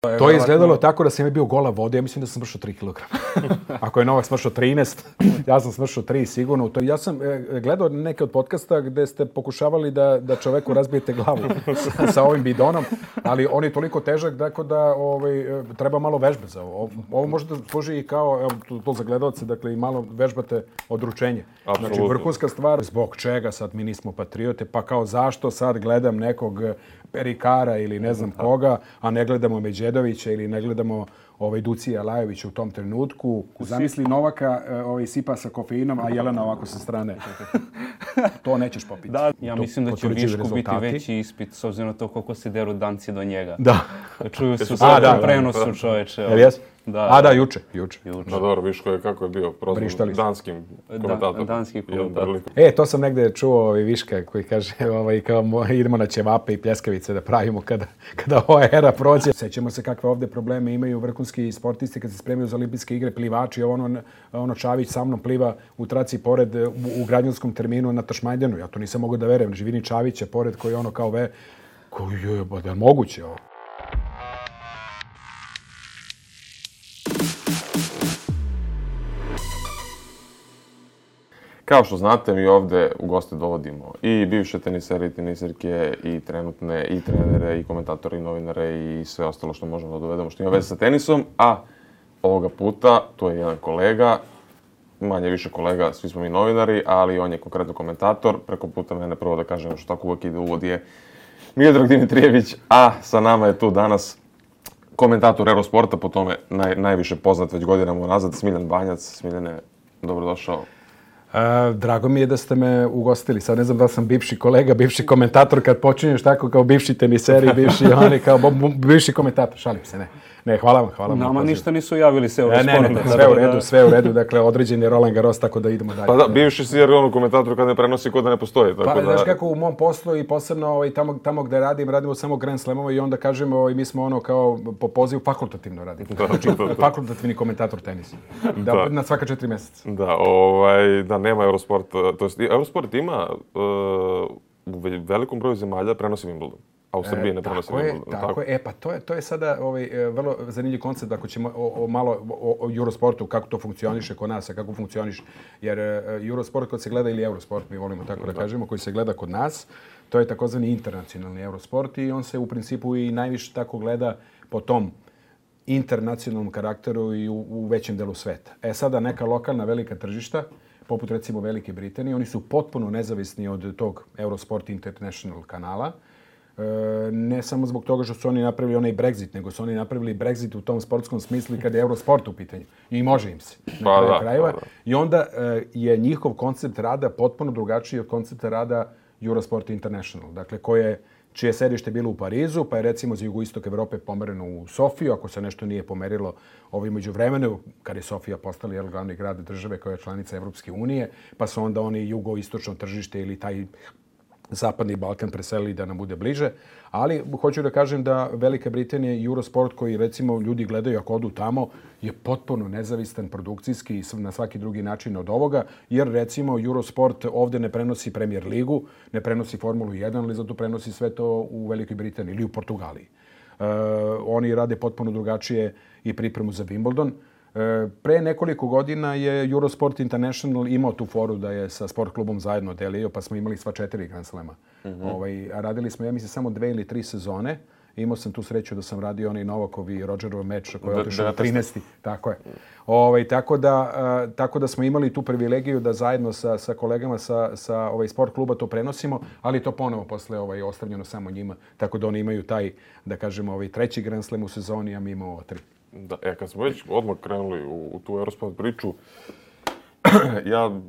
To je izgledalo tako da sam je bio gola vode, ja mislim da sam smršao 3 kg. Ako je Novak smršao 13, ja sam smršao 3 sigurno. Ja sam gledao neke od podcasta gde ste pokušavali da čoveku razbijete glavu sa ovim bidonom, ali on je toliko težak tako da treba malo vežbe za ovo. Ovo može da služi i kao, to za gledalce, dakle i malo vežbate odručenje. Apsolutno. Znači vrhunska stvar, zbog čega sad mi nismo patriote, pa kao zašto sad gledam nekog Perikara ili ne znam koga, a ne gledamo Međedovića ili ne gledamo Ducija Lajovića u tom trenutku. Zamisli Novaka sipa sa kofeinom, a Jelena ovako sa strane. To nećeš popiti. Da, ja mislim da će Višku biti veći ispit s obzirom na to koliko se deru danci do njega. Da. Čuju se u svakom prenosu, čoveče. Jel jes? Da, juče. Da, dobro, Viško je kako je bio prozvan danskim komentatorom. Danski komentator. To sam negde čuo Viška koji kaže kao idemo na ćevape i pljeskavice da pravimo kada ova era prođe. Sećamo se kakve ovde probleme imaju vrhunski sportisti kad se spremaju za olimpijske igre, plivači. Ono Čavić sa mnom pliva u traci pored u građanskom terminu na Tašmajdenu. Ja to nisam mogao da verujem. Živini Čavić je pored koji kao da je moguće ovo. Kao što znate, mi ovde u goste dovodimo i bivše tenisere i teniserke, i trenutne, i trenere, i komentatore, i novinare, i sve ostalo što možemo da dovedemo što ima veze sa tenisom. A ovoga puta, to je jedan kolega, manje više kolega, svi smo mi novinari, ali on je konkretno komentator. Preko puta mene prvo da kažem što tako uvek ide uvod je Miodrag Dimitrijević, a sa nama je tu danas komentator Eurosporta, po tome najviše poznat već godinama unazad, Smiljan Banjac. Smiljane, dobrodošao. Drago mi je da ste me ugostili. Sad ne znam da sam bivši kolega, bivši komentator, kad počinješ tako kao bivši teniseri, bivši oni, kao bivši komentator. Šalim se, ne. Ne, hvala vam. Nama ništa nisu javili se ovo sve u redu. Dakle, određen je Roland Garros, tako da idemo dalje. Pa da, bivši si jer ono komentator kad ne prenosi kod da ne postoji. Tako pa, znaš kako u mom poslu i posebno tamo gde radimo samo Grand Slamova i onda kažemo mi smo ono kao po pozivu fakultativno radimo. Znači, fakultativni komentator tenisa. Na svaka 4 meseca. Da, nema Eurosporta. To jest, Eurosport ima u velikom broju zemalja prenosi Wimbledon. A u Srbiji ne prenosi Wimbledon. Tako je. Pa to je sada vrlo zanimljiv koncept ako ćemo malo o Eurosportu, kako to funkcioniše kod nas, a kako funkcioniše. Jer Eurosport kad se gleda, ili Eurosport, mi volimo tako da kažemo, koji se gleda kod nas, to je takozvani internacionalni Eurosport i on se u principu i najviše tako gleda po tom internacionalnom karakteru i u većem delu sveta. Sada neka lokalna velika tržišta, poput recimo Velike Britanije, oni su potpuno nezavisni od tog Eurosport International kanala. Ne samo zbog toga što su oni napravili onaj Brexit, nego su oni napravili Brexit u tom sportskom smislu kada je Eurosport u pitanju. I može im se. I onda je njihov koncept rada potpuno drugačiji od koncepta rada Eurosport International. Dakle, čije sedište bilo u Parizu, pa je recimo za jugoistok Evrope pomereno u Sofiju, ako se nešto nije pomerilo međuvremenu, kad je Sofija postala glavni grad države koja je članica Evropske unije, pa su onda oni jugoistočno tržište ili taj Zapadni Balkan preselili da nam bude bliže. Ali hoću da kažem da Velika Britanija i Eurosport, koji recimo ljudi gledaju ako odu tamo, je potpuno nezavistan produkcijski i na svaki drugi način od ovoga, jer recimo Eurosport ovde ne prenosi Premier ligu, ne prenosi Formulu 1, ali zato prenosi sve to u Velikoj Britaniji ili u Portugaliji. Oni rade potpuno drugačije i pripremu za Wimbledon. Pre nekoliko godina je Eurosport International imao tu foru da je sa sport klubom zajedno delio, pa smo imali sva 4 Grand Slema. A radili smo, ja mislim, samo 2 ili 3 sezone. Imao sam tu sreću da sam radio onaj Novakov i Rodgerov meč koji je otišao 13. Tako je. Tako da smo imali tu privilegiju da zajedno sa kolegama sa sport kluba to prenosimo, ali to ponovo posle ostavljeno samo njima. Tako da oni imaju taj, da kažemo, 3. Grand Slam u sezoni, a mi imamo 3. Da, kad smo već odmah krenuli u tu Eurosport priču,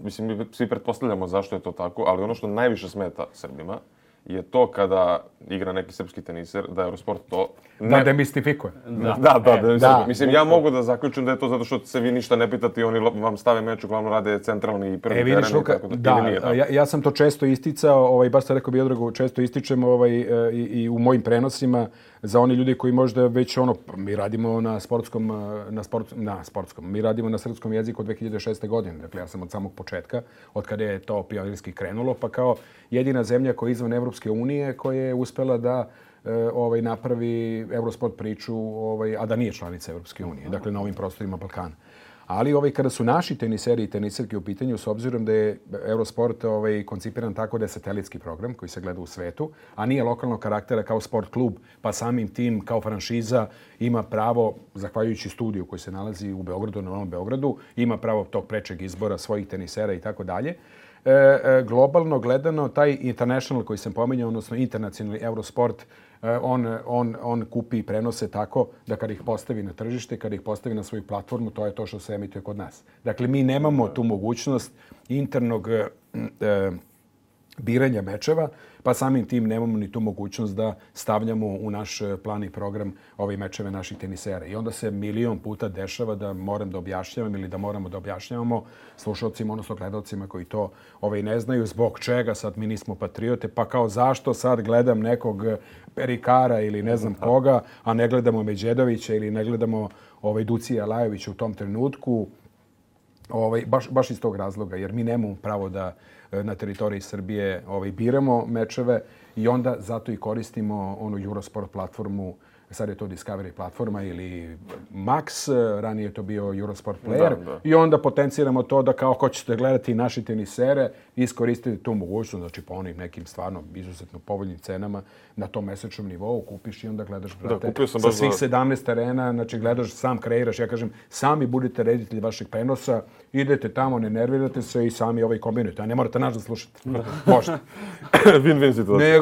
mi svi pretpostavljamo zašto je to tako, ali ono što najviše smeta Srbima je to kada igra neki srpski teniser, da Eurosport to da demistifikuje. Da. Mislim, ja mogu da zaključim da je to zato što se vi ništa ne pitati, oni vam stave meč, uglavnom rade centralni i prvi teren. Vidiš, Luka, ja sam to često isticao, baš sam rekao Miodragu, često ističem i u mojim prenosima za oni ljudi koji možda već mi radimo na mi radimo na srpskom jeziku od 2006. godine. Dakle, ja sam od samog početka, od kada je to pionirski krenulo, pa kao jedina zemlja koja je izvan Evropske unije, koja je uspela da napravi Eurosport priču, a da nije članica Evropske unije, dakle na ovim prostorima Balkana. Ali kada su naši teniseri i teniserke u pitanju, s obzirom da je Eurosport koncipiran tako da je satelitski program koji se gleda u svetu, a nije lokalnog karaktera kao sport klub, pa samim tim kao franšiza ima pravo, zahvaljujući studiju koji se nalazi u Beogradu, na Novom Beogradu, ima pravo tog prečeg izbora svojih tenisera i tako dalje. Globalno gledano, taj international koji sam pominjao, odnosno internacionalni Eurosport, on kupi i prenose tako da kada ih postavi na tržište, kada ih postavi na svoju platformu, to je to što se emituje kod nas. Dakle, mi nemamo tu mogućnost internog biranja mečeva, pa samim tim nemamo ni tu mogućnost da stavljamo u naš plan i program ove mečeve naših tenisera. I onda se milion puta dešava da moram da objašnjavam ili da moramo da objašnjavamo slušalcima, odnosno gledalcima koji to ne znaju, zbog čega sad mi nismo patriote, pa kao zašto sad gledam nekog Perikara ili ne znam koga, a ne gledamo Međedovića ili ne gledamo Ducija Lajovića u tom trenutku. Baš iz tog razloga, jer mi nemamo pravo da na teritoriji Srbije biramo mečeve i onda zato i koristimo onu Eurosport platformu. Sad je to Discovery platforma ili Max, ranije je to bio Eurosport Player. I onda potenciramo to da kao hoćete gledati naše tenisere, iskoristiti tu mogućnost, znači po onim nekim stvarno izuzetno povoljnim cenama na tom mesečnom nivou kupiš i onda gledaš, brate, sa svih 17 arena, znači gledaš, sam kreiraš, ja kažem, sami budete reditelji vašeg prenosa, idete tamo, ne nervirate se i sami kombinujete, a ne morate nas da slušate. Možete. Win-win situacija.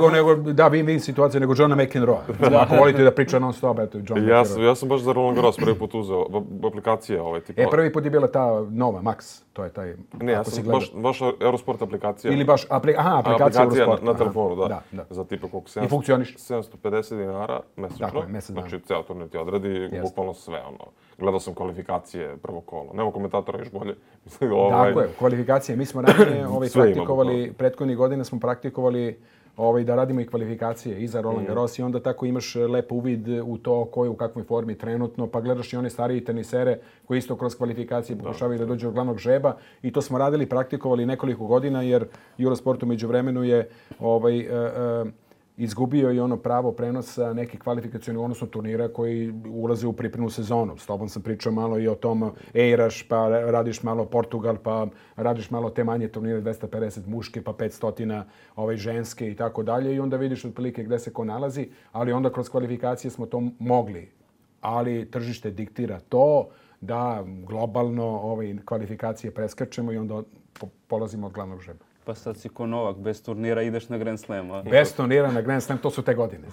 Win-win situacija, nego Johna McEnroe. Ako volite da priča non-stop, eto, John McEnroe. Ja sam baš za Roland Garros prvi put uzeo aplikacije tipa. Prvi put je bila ta nova, Max, to je taj... Ne, ja sam baš Eurosport aplikacija. Ili baš aplikacija Eurosport. Na telefonu, da. Za tipa koliko 750 dinara mesečno. Dakle, mesec dana. Znači, ceo turnir ti odradi, bukvalno sve, Gledao sam kvalifikacije prvo kolo. Nema komentatora, još bolje. Tako je, kvalifikacije. Mi smo ranije praktikovali, prethodnih godina smo praktikovali da radimo i kvalifikacije i za Roland Garros i onda tako imaš lep uvid u to ko je u kakvoj formi trenutno, pa gledaš i one starije tenisere koji isto kroz kvalifikacije pokušavaju da dođu do glavnog žreba i to smo radili, praktikovali nekoliko godina jer Eurosport u međuvremenu je izgubio i ono pravo prenosa nekih kvalifikacionih, odnosno turnira koji ulaze u pripremnu sezonu. S tobom sam pričao malo i o tom Eiraš, pa radiš malo Portugal, pa radiš malo te manje turnire, 250 muške, pa 500 ženske i tako dalje. I onda vidiš otprilike gde se ko nalazi, ali onda kroz kvalifikacije smo to mogli. Ali tržište diktira to da globalno kvalifikacije preskačemo i onda polazimo od glavnog žreba. Pa sad si ko Novak, bez turnira ideš na Grand Slam. Bez turnira na Grand Slam, to su te godine.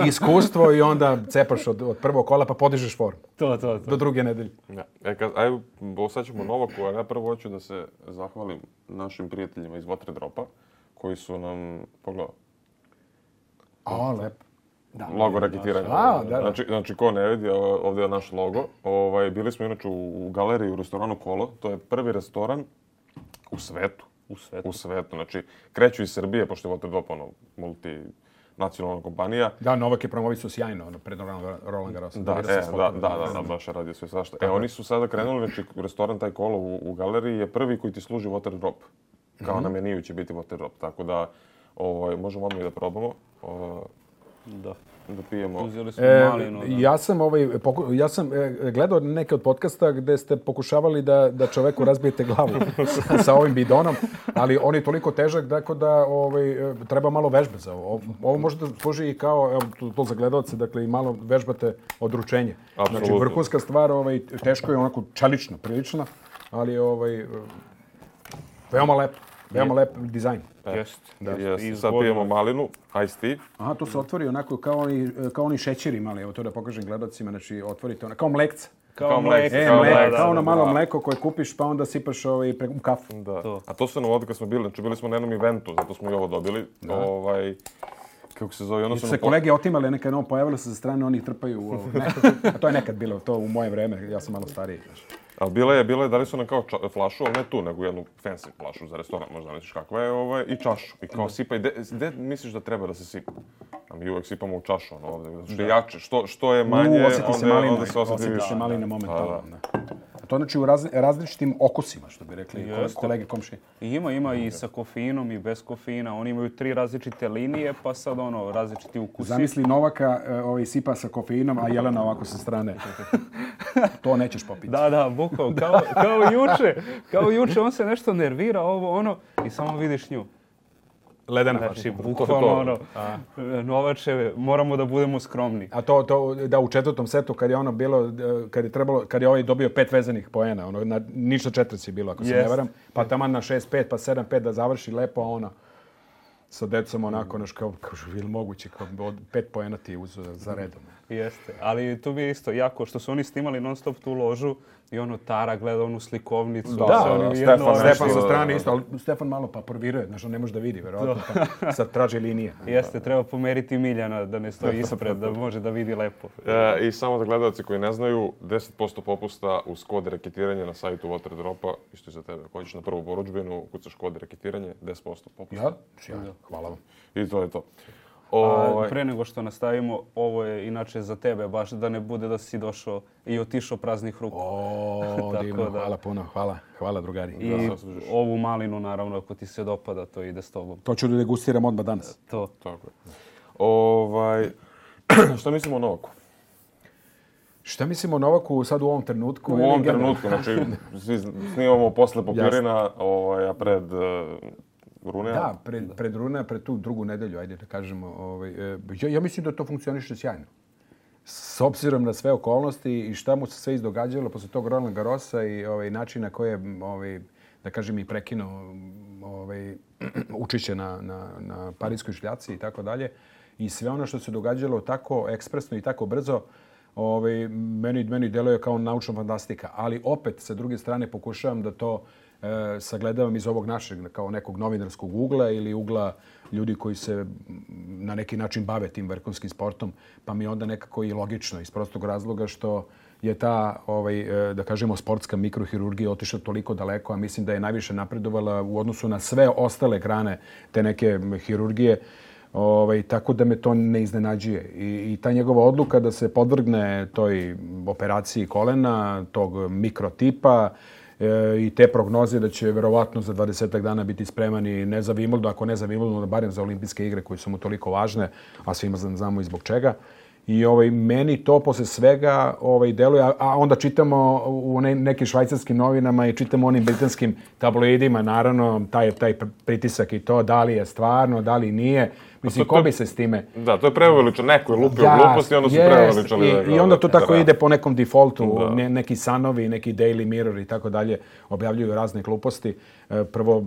Iskustvo i onda cepaš od prvog kola pa podižeš formu. To. Do druge nedelje. Sad ćemo Novaku, a ja prvo hoću da se zahvalim našim prijateljima iz Waterdropa, koji su nam, pogledao. Lepo. Logo raketiranja. Znači, ko ne vidi, ovdje je naš logo. Bili smo inače u galeriji u restoranu Kolo. To je prvi restoran u svetu. U svetu. Znači, kreću iz Srbije, pošto je Waterdrop multinacionalna kompanija. Da, Novak je promovisao sjajno pred Roland Garros. Da, baš je radio sve svašta. Oni su sada krenuli, znači, restoran taj Kolo u galeriji je prvi koji ti služi Waterdrop. Kao na meniju će biti Waterdrop. Tako da, možemo odmah i da probamo. Da pijemo. Uzeli smo malinu. Ja sam gledao neke od podcasta gde ste pokušavali da čoveku razbijete glavu sa ovim bidonom, ali on je toliko težak tako da treba malo vežbe za ovo. Ovo može da služi i kao, to za gledalce, dakle i malo vežbate odručenje. Znači vrhunska stvar, teško je onako čelično, prilično, ali veoma lepo. Veoma lep dizajn. Sad pijemo malinu, iced tea. Aha, to se otvori onako kao oni šećeri mali. Evo to da pokažem gledacima. Znači, otvorite ono, kao mlekca. Kao mleko. Kao ono malo mleko koje kupiš pa onda sipaš u kafu. A to su nam ovdje kad smo bili. Znači, bili smo na jednom eventu, zato smo i ovo dobili. Kako se zove? Se kolege otimali, neka je pojavilo se za strane, oni ih trpaju. A to je nekad bilo, to u moje vreme. Ja sam malo stariji. Ali bilo je, dali su nam kao flašu, ali ne tu, nego jednu fancy flašu za restoran, možda misliš kakva je, i čašu. I kao sipaj, gde misliš da treba da se sipa? A mi uvek sipamo u čašu, ono ovdje, što je jače, što je manje, onda se osjeti više. Osjeti se malina momentalno. to znači u različitim okusima, što bi rekli kolege komšije? Ima i sa kofeinom i bez kofeina. Oni imaju 3 različite linije, pa sad različiti ukusi. Zamisli Novaka sipa sa kofeinom, a Jelena ovako sa strane. To nećeš popiti. Da, bukao. Kao juče, on se nešto nervira, i samo vidiš nju. Ledena. Znači, bukvalno Novače, moramo da budemo skromni. A to da u 4. setu kad je ono bilo, kad je ovaj dobio 5 vezanih poena, ništa 4 je bilo, ako se ne varam, pa taman na 6-5, pa 7-5 da završi lepo, a ona sa decom onako, kao ili moguće, kao 5 poena ti uzeo za redom. Jeste, ali tu bi isto jako, što su oni snimali non stop tu ložu i Tara gleda onu slikovnicu. Da, Stefan sa strane isto, ali Stefan malo paporviruje, znači on ne može da vidi, verovatno, pa sad traži linije. Jeste, treba pomeriti Miljana da ne stoji ispred, da može da vidi lepo. I samo za gledalci koji ne znaju, 10% popusta uz kod reketiranje na sajtu Waterdropa, isto i za tebe. Ako hoćeš na prvu porudžbinu, kucaš kod reketiranje, 10% popusta. Ja? Hvala vam. I to je to. Pre nego što nastavimo, ovo je inače za tebe, baš da ne bude da si došao i otišao praznih ruku. Divno, hvala puno, hvala drugari. I ovu malinu, naravno, ako ti se dopada, to ide s tobom. To ću da degustiram odmah danas. To. Tako je. Šta mislimo o Novaku? Šta mislimo o Novaku sad u ovom trenutku? U ovom trenutku, znači snimamo posle Popirina, a pred Runea? Da, pred Runea, pred tu drugu nedelju, ajde da kažemo. Ja mislim da to funkcioniše sjajno. S obzirom na sve okolnosti i šta mu se sve izdogađalo posle tog Roland Garrosa i načina koje je, da kažem, i prekinuo učešće na Parijskoj šljaci i tako dalje. I sve ono što se događalo tako ekspresno i tako brzo, meni deluje kao naučna fantastika. Ali opet, sa druge strane, pokušavam da to sagledavam iz ovog našeg, kao nekog novinarskog ugla ili ugla ljudi koji se na neki način bave tim vrhunskim sportom, pa mi je onda nekako i logično iz prostog razloga što je ta, da kažemo, sportska mikrohirurgija otišla toliko daleko, a mislim da je najviše napredovala u odnosu na sve ostale grane te neke hirurgije. Tako da me to ne iznenađuje. I ta njegova odluka da se podvrgne toj operaciji kolena, tog mikrotipa, i te prognoze da će verovatno za 20 dana biti spremani ne za Wimbledon, ako ne za Wimbledon, barem za olimpijske igre koje su mu toliko važne, a svima znamo i zbog čega. I meni to posle svega deluje, a onda čitamo u nekim švajcarskim novinama i čitamo onim britanskim tabloidima, naravno, taj pritisak i to, da li je stvarno, da li nije. Mislim, ko bi se s time... Da, to je preuveličano. Neko je lupio gluposti, onda su preuveličali. I onda to tako ide po nekom defaultu. Neki Sanovi, neki Daily Mirror i tako dalje objavljuju razne gluposti. Prvo,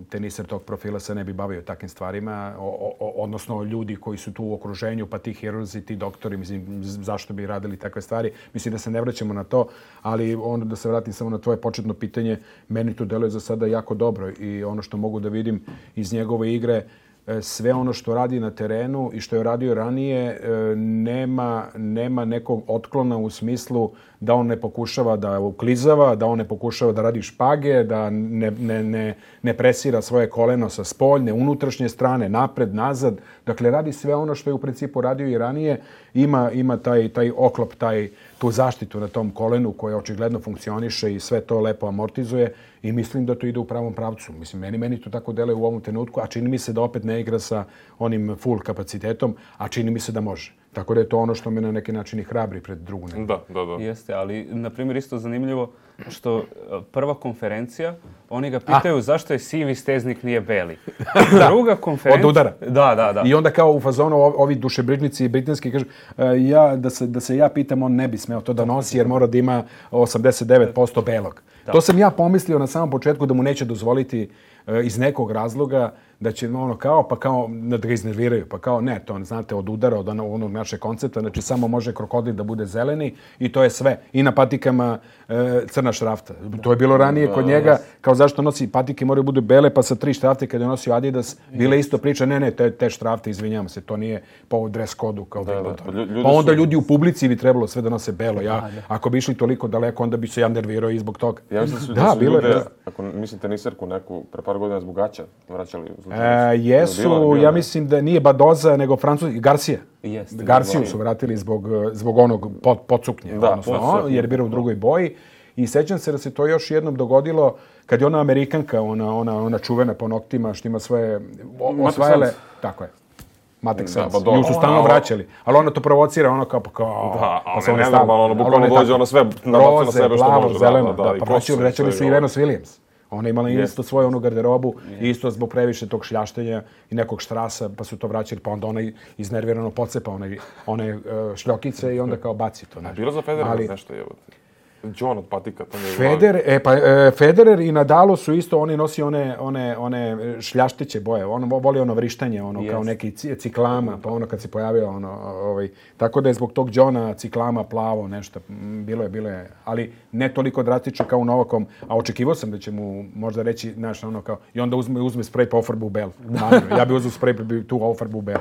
teniser tog profila se ne bi bavio takvim stvarima, odnosno ljudi koji su tu u okruženju, pa ti hirurzi, ti doktori, mislim, zašto bi radili takve stvari. Mislim da se ne vraćamo na to, ali onda da se vratim samo na tvoje početno pitanje, meni to deluje za sada jako dobro i ono što mogu da vidim iz njegove igre, sve ono što radi na terenu i što je radio ranije nema nekog otklona u smislu da on ne pokušava da uklizava, da on ne pokušava da radi špage, da ne presira svoje koleno sa spoljne, unutrašnje strane, napred, nazad. Dakle, radi sve ono što je u principu radio i ranije. Ima taj oklop, tu zaštitu na tom kolenu koja očigledno funkcioniše i sve to lepo amortizuje i mislim da to ide u pravom pravcu. Mislim, meni to tako deluje u ovom trenutku, a čini mi se da opet ne igra sa onim full kapacitetom, a čini mi se da može. Tako da je to ono što me na neki način i hrabri pred drugu nedelju. Da. Jeste, ali, na primjer, isto zanimljivo što prva konferencija, oni ga pitaju zašto je sivi steznik nije beli. Druga konferencija... Od udara. Da. I onda kao u fazonu ovi dušebrižnici britanski kažu da se ja pitam, on ne bi smeo to da nosi jer mora da ima 89% belog. Da. To sam ja pomislio na samom početku da mu neće dozvoliti iz nekog razloga da će kao da ga iznerviraju. Pa kao ne, to znate od udara, od onog našeg koncepta, znači samo može krokodil da bude zeleni i to je sve. I na patikama crna šrafta. To je bilo ranije kod njega, kao zašto nosi patike moraju bude bele, pa sa 3 štrafte kada je nosio Adidas, bile isto priča, ne, te štrafte, izvinjavam se, to nije po dress kodu kao Wimbledon. Pa onda ljudi u publici bi trebalo sve da nose belo. Ako bi išli toliko daleko, onda bi se ja nervirao i zbog toga. Ja mislim da su ljude, ako mislite teniserku neku, pre par godina zbog gaća vraćali. Jesu, ja mislim da nije Badoza, nego Francuski, Garcia. Garciju su vratili zbog onog podsuknje, jer je bio u drugoj boji. I sećam se da se to još jednom dogodilo kad je ona Amerikanka, ona čuvena po noktima, što ima svoje osvajale. Tako je. Matek Sans. Nju su stalno vraćali. Ali ona to provocira, ono kao, pa se one stalno, ono bukvalno dođe, ono sve nabaci na sebe što može. Zeleno, pa vraćali su i Venus Williams. Ona je imala isto svoju onu garderobu, isto zbog previše tog šljaštenja i nekog štrasa, pa su to vraćali, pa onda ona iznervirano pocepa one šljokice i onda kao baci to. Bilo za Federer nešto je. John od patika, to nije Federer i Nadal su isto, oni nosi one šljaštiće boje, on voli ono vrištanje, kao neki ciklama, pa ono kad se pojavio tako da je zbog tog Johna ciklama plavo nešto, bilo je, ali ne toliko drastično kao u Novakom, a očekivao sam da će mu možda reći, znaš, ono kao, i onda uzme sprej pa ofarbu u bel. Ja bi uzeo sprej pa bi tu ofarbu u bel.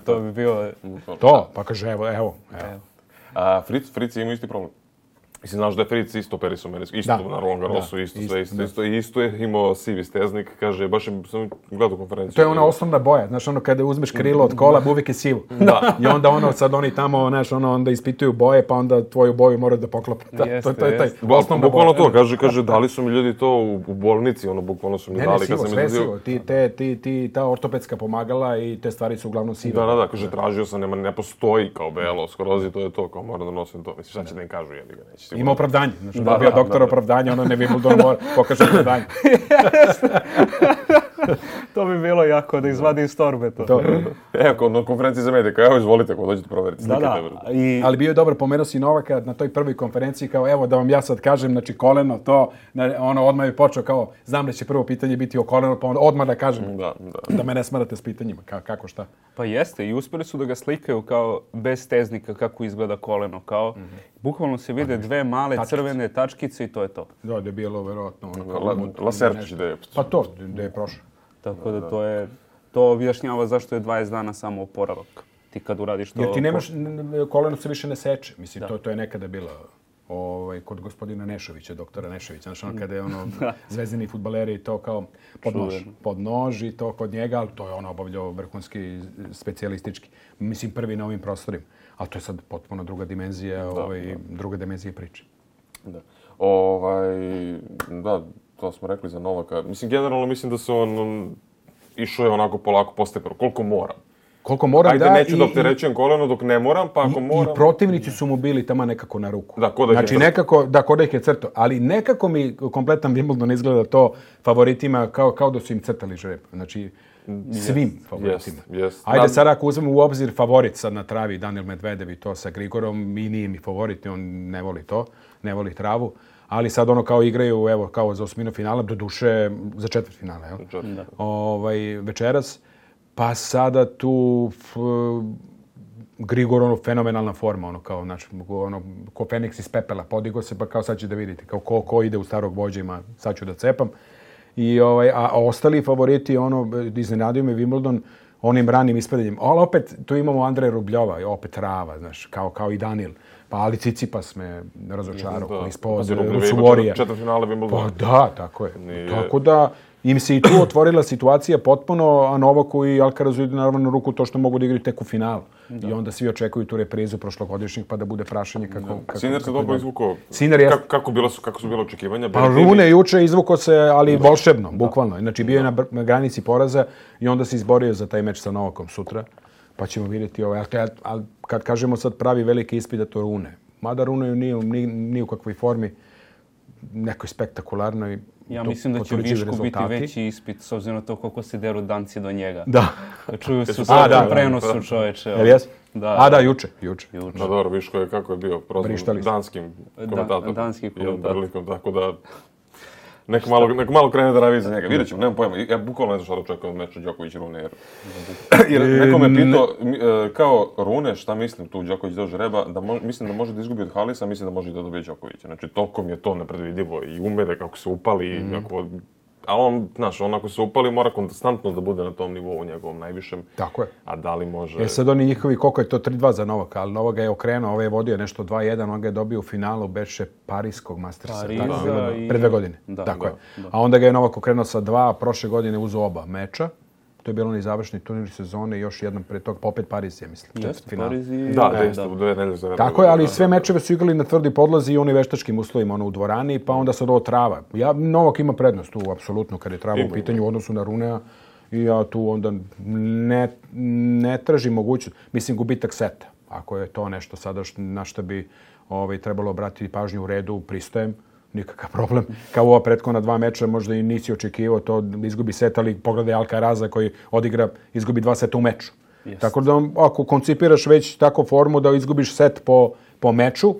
To bi bio... To, pa kaže, evo. A Fritz ima isti problem. Mislim, znaš da je Fritz isto operiso mene, isto na Roland Garrosu, isto je imao sivi steznik, kaže, baš sam gledao konferenciju. To je ona osnovna boja, znaš, ono kada uzmeš krilo od kola, uvijek je sivo. Da. I onda sad oni tamo, znaš, onda ispituju boje, pa onda tvoju boju moraju da poklope. To je taj osnovna boja. Bukvalno to, kaže, dali su mi ljudi to u bolnici, bukvalno su mi dali. Ne, sivo, sve sivo. Ta ortopedska pomagala i te stvari su uglavnom sive. Da, kaže, tražio sam, ne postoji kao belo, skroz i to je to, kao moram da nosim to. Mislim, šta će da im kažu, jebi ga, neće. Ima opravdanje. Znači, da bio doktor opravdanje, ono ne Wimbledon mora pokaže opravdanje. To bi bilo jako da izvadi iz torbe to. Evo, na konferenciji za medije, kao evo izvolite, ako dođete provjeriti. Ali bio je dobar, pomenuo si Novaka na toj prvoj konferenciji, kao evo da vam ja sad kažem, znači koleno to, odmah je počeo kao, znam da će prvo pitanje biti o kolenu, pa onda odmah da kažem da me ne smarate s pitanjima, kako šta. Pa jeste, i uspjeli su da ga slikaju kao bez steznika kako izgleda koleno, kao bukvalno se vide dve male crvene tačkice i to je to. Da je bilo verovatno Laserčić da je. Pa to, da je prošao. Tako da to objašnjava zašto je 20 dana samo oporavak. Ti kad uradiš to... Jer ti nemaš, koleno se više ne seče. Mislim, to je nekada bilo kod gospodina Nešovića, doktora Nešovića. Znaš, kada je zvezdini fudbaleri i to kao pod nož i to kod njega, ali to je obavljao vrhunski specijalistički. Mislim, prvi na ovim prostorima. Ali to je sad potpuno druga dimenzija, druga dimenzija priče. Da. Da, to smo rekli za Novaka. Mislim, generalno mislim da se on išao je onako polako postepeno. Koliko moram, Ajde, neću da opterećujem koleno dok ne moram, pa ako moram... I protivnici su mu bili tamo nekako na ruku. Da, ko da ih je crto. Nekako, ko da ih je crto. Ali nekako mi kompletan Wimbledon izgleda to favoritima kao da su im crtali žreb. Znači, svim favoritima. Ajde sad ako uzmemo u obzir favorit sad na travi, Daniil Medvedev i to sa Grigorom, i nije mi favorit, on ne voli to, ne voli travu. Ali sad kao igraju, evo, kao za osminu finala, do duše za četvrtfinale, večeras. Pa sada tu Grigor, fenomenalna forma, ko Feniks iz pepela, podigo se, pa kao sad će da vidite, kao ko ide u starog vođa ima, sad ću da cepam. A ostali favoriti, iznenadio me Wimbledon onim ranim ispadanjem. Ali opet, tu imamo Andreja Rubljova, opet trava, znaš, kao i Daniil. Pa ali Tsitsipas me razočarao, ispod Suvorija. Četvrtfinale Wimbledona. Pa da, tako je. Tako da im se i tu otvorila situacija potpuno, a Novaku i Alcarazu ide naravno na ruku to što mogu da igraju tek u finalu. I onda svi očekuju tu reprizu prošlogodišnjih pa da bude prašanje kako... Sinner se dobro izvukao. Sinner je... Kako su bile očekivanja? Pa Rune juče izvukao se, ali volšebno, bukvalno. Znači bio je na granici poraza i onda se izborio za taj meč sa Novakom sutra. Pa ćemo vidjeti ali kad kažemo sad pravi veliki ispit da to Rune. Mada Rune nije u kakvoj formi, nekoj spektakularnoj. Ja mislim da će Višku biti veći ispit, s obzirom na to koliko se deru danci do njega. Da. Čuju su sad u prenosu čoveče. Jel jes? Da, juče. Da, dobro, Viško je kako je bio prozvan danskim komentatom. Danskim komentatom. Tako da... Nek malo krene da ravi za njega. Vidjet ćemo, nemam pojma. Ja bukvalno ne znam šta da očekujem od meča Đoković-Rune. Jer neko me pitao, kao Rune, šta mislim tu Đoković do žreba, da mislim da može da izgubi od Halisa, mislim da može da dobije Đokovića. Znači, toliko mi je to nepredvidivo i umede kako se upali. Ali on, znaš, ako se upali, mora konstantno da bude na tom nivou njegovom najvišem. Tako je. A da li može... Sad oni njihovi, koliko je to 3-2 za Novaka, ali Novak je okrenuo, ovaj je vodio nešto 2-1, on ga je dobio u finalu beše Parijskog Mastersa. Pre 2 godine. Tako je. A onda ga je Novak okrenuo sa 2, a prošle godine uzeo oba meča. To je bilo onaj završni turnir sezone i još jednom pre toga, pa opet Pariz, ja mislim. Jeste, Pariz i... Da, isto, 2 nedelje za redom. Tako je, ali sve mečeve su igrali na tvrdi podlozi i onoj veštačkim uslovima, u dvorani, pa onda sad ovo trava. Novak ima prednost tu, apsolutno, kad je trava u pitanju u odnosu na Runea. I ja tu onda ne tražim mogućnost, mislim, gubitak seta. Ako je to nešto sada na što bi trebalo obratiti pažnju u redu, pristajem, nikakav problem. Kao ova prethodna 2 meča, možda i nisi očekivao to da izgubi set, ali pogledaj Alcaraza koji odigra, izgubi 2 seta u meču. Yes. Tako da ako koncipiraš već tako formu da izgubiš set po meču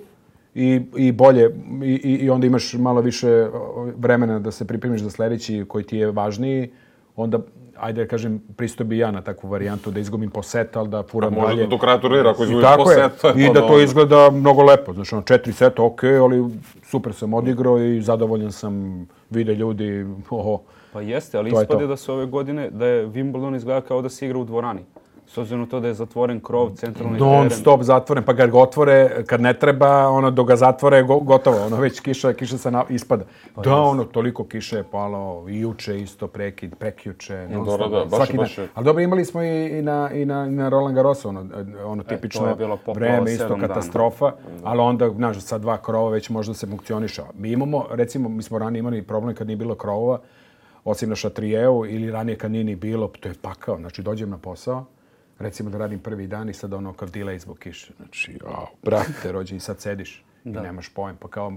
i bolje, i onda imaš malo više vremena da se pripremiš za sledeći koji ti je važniji, onda ajde da kažem, pristo bi ja na takvu varijantu da izgubim po set, ali da furam dalje. Možda do kraja turnira ako izgubiš po set. I da to izgleda mnogo lepo. Znači, 4 seta, ali super sam odigrao i zadovoljan sam, vide ljudi, Pa jeste, ali ispade da se ove godine, da je Wimbledon izgleda kao da se igra u dvorani. S obzirom na to da je zatvoren krov, centralni teren. Non stop zatvoren, pa kad ga otvore, kad ne treba, dok ga zatvore, gotovo. Već kiša se ispada. Toliko kiše je palo, i juče isto prekjuče. Svaki dan. Ali dobro, imali smo i na Roland Garrosu, tipično vreme, isto katastrofa. Ali onda, znaš, sa 2 krova već možda se funkcioniša. Mi imamo, recimo, mi smo ranije imali problem kad nije bilo krovova, osim na Šatrijevu ili ranije kad nije ni bilo, to je pakao. Znači, dođem na posao, recimo da radim prvi dan i sad kao delay zbog kiše. Znači, brate, rođe, i sad sediš i nemaš pojem. Pa kao,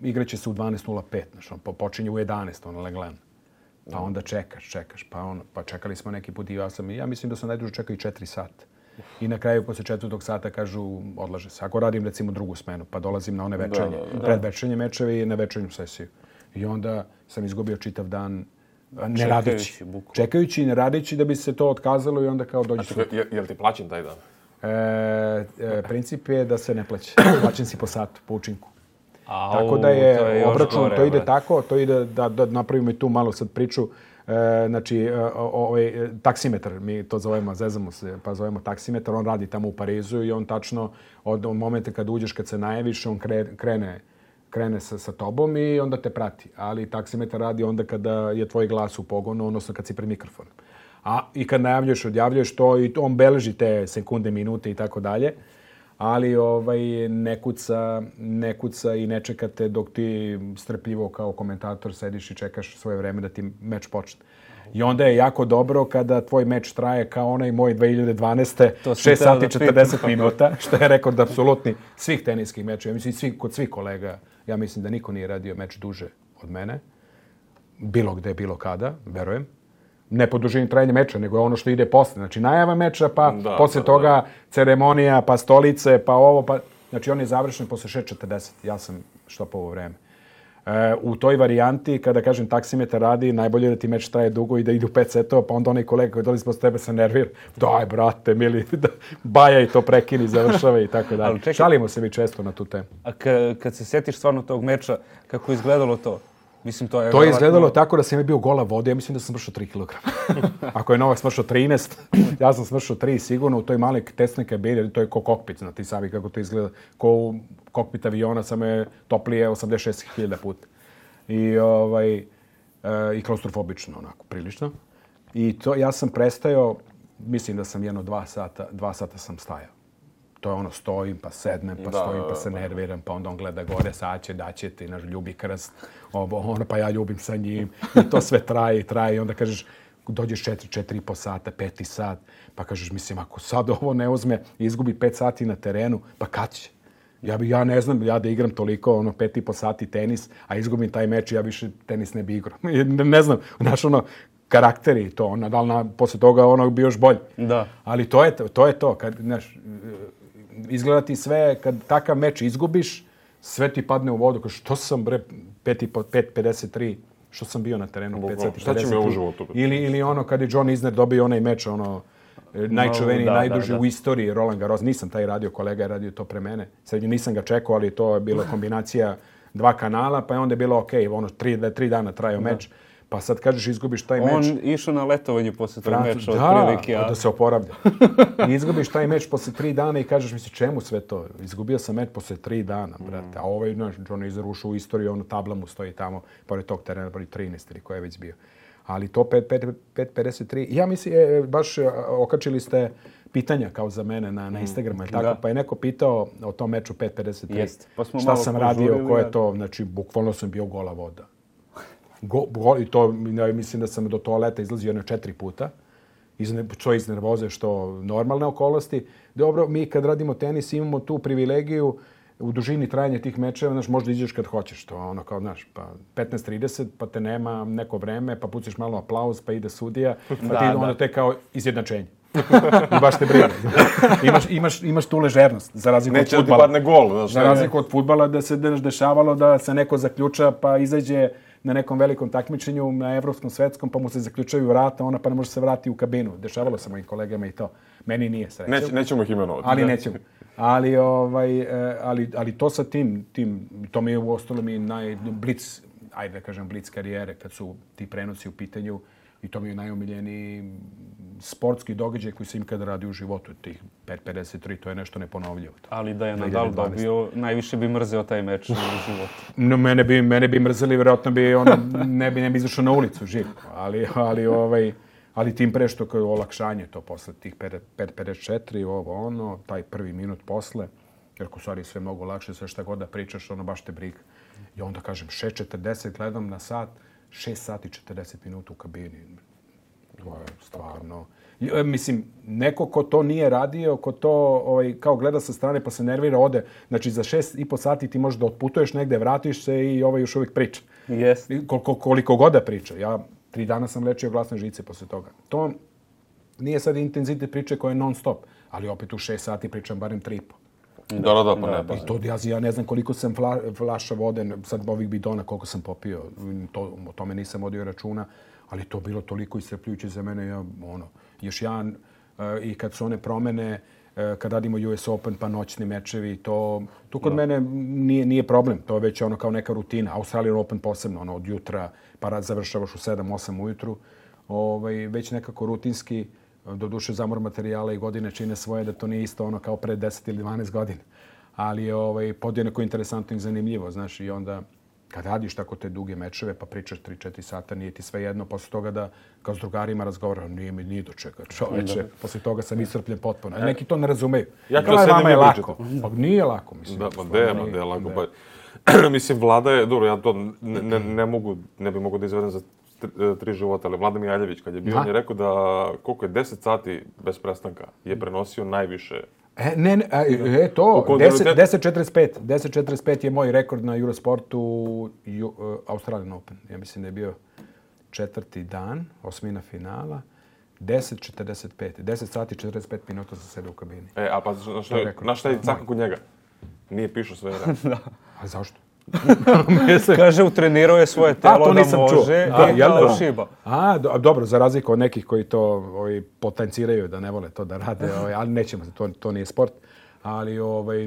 igraće se u 12:05, znači, počinje u 11, leglen. Pa onda čekaš, pa čekali smo neki put i ja mislim da sam najduže čekao i 4 sata. I na kraju, posle 4. sata, kažu, odlaže se. Ako radim, recimo, drugu smenu, pa dolazim na one večernje, predvečernje mečeve i na večernju sesiju. I onda sam izgubio čitav dan ne radeći. Čekajući i ne radeći da bi se to otkazalo i onda kao dođe. Je li ti plaćen taj dan? Princip je da se ne plaća. Plaćen si po satu, po učinku. Tako da je obračun, to ide tako, to ide da napravimo i tu malo sad priču. Znači, taksimetar, mi to zovemo, zezamo se, pa zovemo taksimetar, on radi tamo u Parizu i on tačno od momenta kad uđeš, kad se najaviš, on krene sa tobom i onda te prati. Ali taksimetar radi onda kada je tvoj glas u pogonu, odnosno kad si pred mikrofonom. I kad najavljuješ, odjavljuješ to i on beleži te sekunde, minute i tako dalje. Ali ne kuca i ne čekate dok ti strpljivo kao komentator sediš i čekaš svoje vreme da ti meč počne. I onda je jako dobro kada tvoj meč traje kao onaj moj 2012. 6 sati 40 minuta, što je rekord apsolutni svih teniskih mečeva. Mislim, kod svih kolega, ja mislim da niko nije radio meč duže od mene. Bilo gde, bilo kada, verujem. Ne po dužini trajanja meča, nego je ono što ide posle. Znači, najava meča, pa posle toga ceremonija, pa stolice, pa ovo, pa... Znači, on je završen posle 6:40. Ja sam štopao vreme. U toj varijanti, kada kažem taksimetar radi, najbolje da ti meč traje dugo i da ide u 5 setova, pa onda onaj kolega koji dolazi posle tebe se nervira. Daj, brate, mili, baja i to prekini, završava i tako dalje. Šalimo se mi često na tu temu. A kad se setiš stvarno tog meča, kako je izgledalo to? Mislim, to je izgledalo tako da sam bio gola vode, ja mislim da sam smršao 3 kg. Ako je Novak smršao 13, ja sam smršao 3 sigurno u toj maloj tesnoj kabini, to je ko kokpit, znate sami kako to izgleda, ko u kokpit aviona, samo je toplije 86.000 puta. I klaustrofobično, onako, prilično. I to, ja sam prestajao, mislim da sam 2 sata sam stajao. To je stojim, pa sednem, pa stojim, pa se nerviram, pa onda on gleda gore, sad će, daće ti, naš ljubi krst, pa ja ljubim sa njim. I to sve traje i onda kažeš, dođeš 4,5 sata, 5. sat, pa kažeš, mislim, ako sad ovo ne uzme i izgubi 5 sati na terenu, pa kad će? Ja ne znam, ja da igram toliko, 5,5 sati tenis, a izgubim taj meč, ja više tenis ne bi igrao. Ne znam, znaš, karakteri i to, da li posle toga bi još bolji. Da. Ali to je to, kad, znaš, izgleda ti sve, kad takav meč izgubiš, sve ti padne u vodu, kao što sam, 5:53, što sam bio na terenu, 5:53. Šta će me uživo tu? Ili kad je John Isner dobio onaj meč, najčuveniji, najduži u istoriji, Roland Garros. Nisam taj radio, kolega je radio to pre mene. Sad nisam ga čekao, ali to je bila kombinacija 2 kanala, pa je onda bilo okej, 3 dana trajao meč. Pa sad kažeš izgubiš taj meč. On išao na letovanje posle tog meča otprilike. Da se oporavlja. I izgubiš taj meč posle 3 dana i kažeš misli čemu sve to? Izgubio sam meč posle 3 dana, brate. A John Isner ušao u istoriju, tabla mu stoji tamo, pored tog terena, pored 13 ili koja je već bio. Ali to 5.53, ja mislim, baš okačili ste pitanja kao za mene na Instagramu, tako, da. pa je neko pitao o tom meču 5.53. Jest. Pa smo šta malo sam radio, požurili, ko je to, znači, bukvalno sam bio gola voda. I to, ja mislim da sam do toaleta izlazio 4 puta. Što iz nervoze, što normalne okolnosti. Dobro, mi kad radimo tenis imamo tu privilegiju u dužini trajanja tih mečeva, znaš, možda iđeš kad hoćeš, to ono kao, znaš, pa 15:30, pa te nema neko vreme, pa puciš malo aplauz, pa ide sudija, pa ti onda te kao izjednačenje. I baš te briga. Imaš tu ležernost, za razliku od fudbala. Neće ti padne gol. Znaš, za razliku od fudbala da se dešavalo da se neko zaključa pa izađe na nekom velikom takmičenju, na evropskom, svetskom, pa mu se zaključaju vrata, ona pa ne može se vratiti u kabinu. Dešavalo se mojim kolegama i to. Meni nije srećom. Nećemo ih imenovati. Ali nećemo. Ali to sa tim, to mi je u ostalom i blic, ajde da kažem, blic karijere, kad su ti prenosi u pitanju, i to mi je najomiljeniji sportski događaj koji sam ikada radio u životu. Tih 5.53, to je nešto neponovljivo. Ali da je Nadal dobio, najviše bi mrzeo taj meč u životu. No, mene bi mrzeli, vjerojatno bi ne bi izašao na ulicu živ. Ali tim pre što kao olakšanje to posle tih 5.54, taj prvi minut posle, jer u stvari sve mnogo lakše, sve šta god da pričaš, baš te briga. I onda kažem, 6.40 gledam na sat, 6 sati 40 minuta u kabini. To je stvarno... Mislim, neko ko to nije radio, ko to kao gleda sa strane pa se nervira, ode. Znači, za 6,5 sati ti možeš da otputuješ negde, vratiš se i još uvijek priča. Yes. Koliko god da priča. Ja 3 dana sam lečio glasne žice posle toga. To nije sad intenzitet priče koja je non stop, ali opet u 6 sati pričam barem 3,5. Da, pa ne. I to ja ne znam koliko sam flaša vode, sad ovih bidona, koliko sam popio, o tome nisam vodio računa, ali to bilo toliko iscrpljujuće za mene. Još jedan, i kad su one promene, kad radimo US Open pa noćni mečevi, to kod mene nije problem, to je već kao neka rutina. Australian Open posebno, od jutra, pa završavaš u 7-8 ujutru, već nekako rutinski. Doduše zamor materijala i godine čine svoje, da to nije isto kao pre 10 ili 12 godina. Ali je podjednako interesantno i zanimljivo, znaš, i onda kad radiš tako te duge mečeve pa pričaš 3-4 sata, nije ti sve jedno, posle toga da kao s drugarima razgovaram, nije mi ni do čega, čoveče, posle toga sam iscrpljen potpuno. Neki to ne razumeju. Vama je lako. Pa nije lako, mislim. Da, pa gde je lako. Mislim, Vlada je, dobro, ja to ne bi mogu da izvedem za 3 života, ali Vlada Mijaljević, kad je bio, on je rekao da koliko je 10 sati bez prestanka je prenosio najviše. To, 10.45. 10.45 je moj rekord na Eurosportu Australian Open. Ja mislim da je bio 4. dan, osmina finala, 10.45. 10 sati 45 minuta za sebe u kabini. A pa znaš šta je caka kod njega? Nije pišao sve vreme. A zašto? Kaže, utrenirao je svoje telo da može da šiba. Dobro, za razliku od nekih koji to potenciraju da ne vole to da rade, ali nećemo, to nije sport. Ali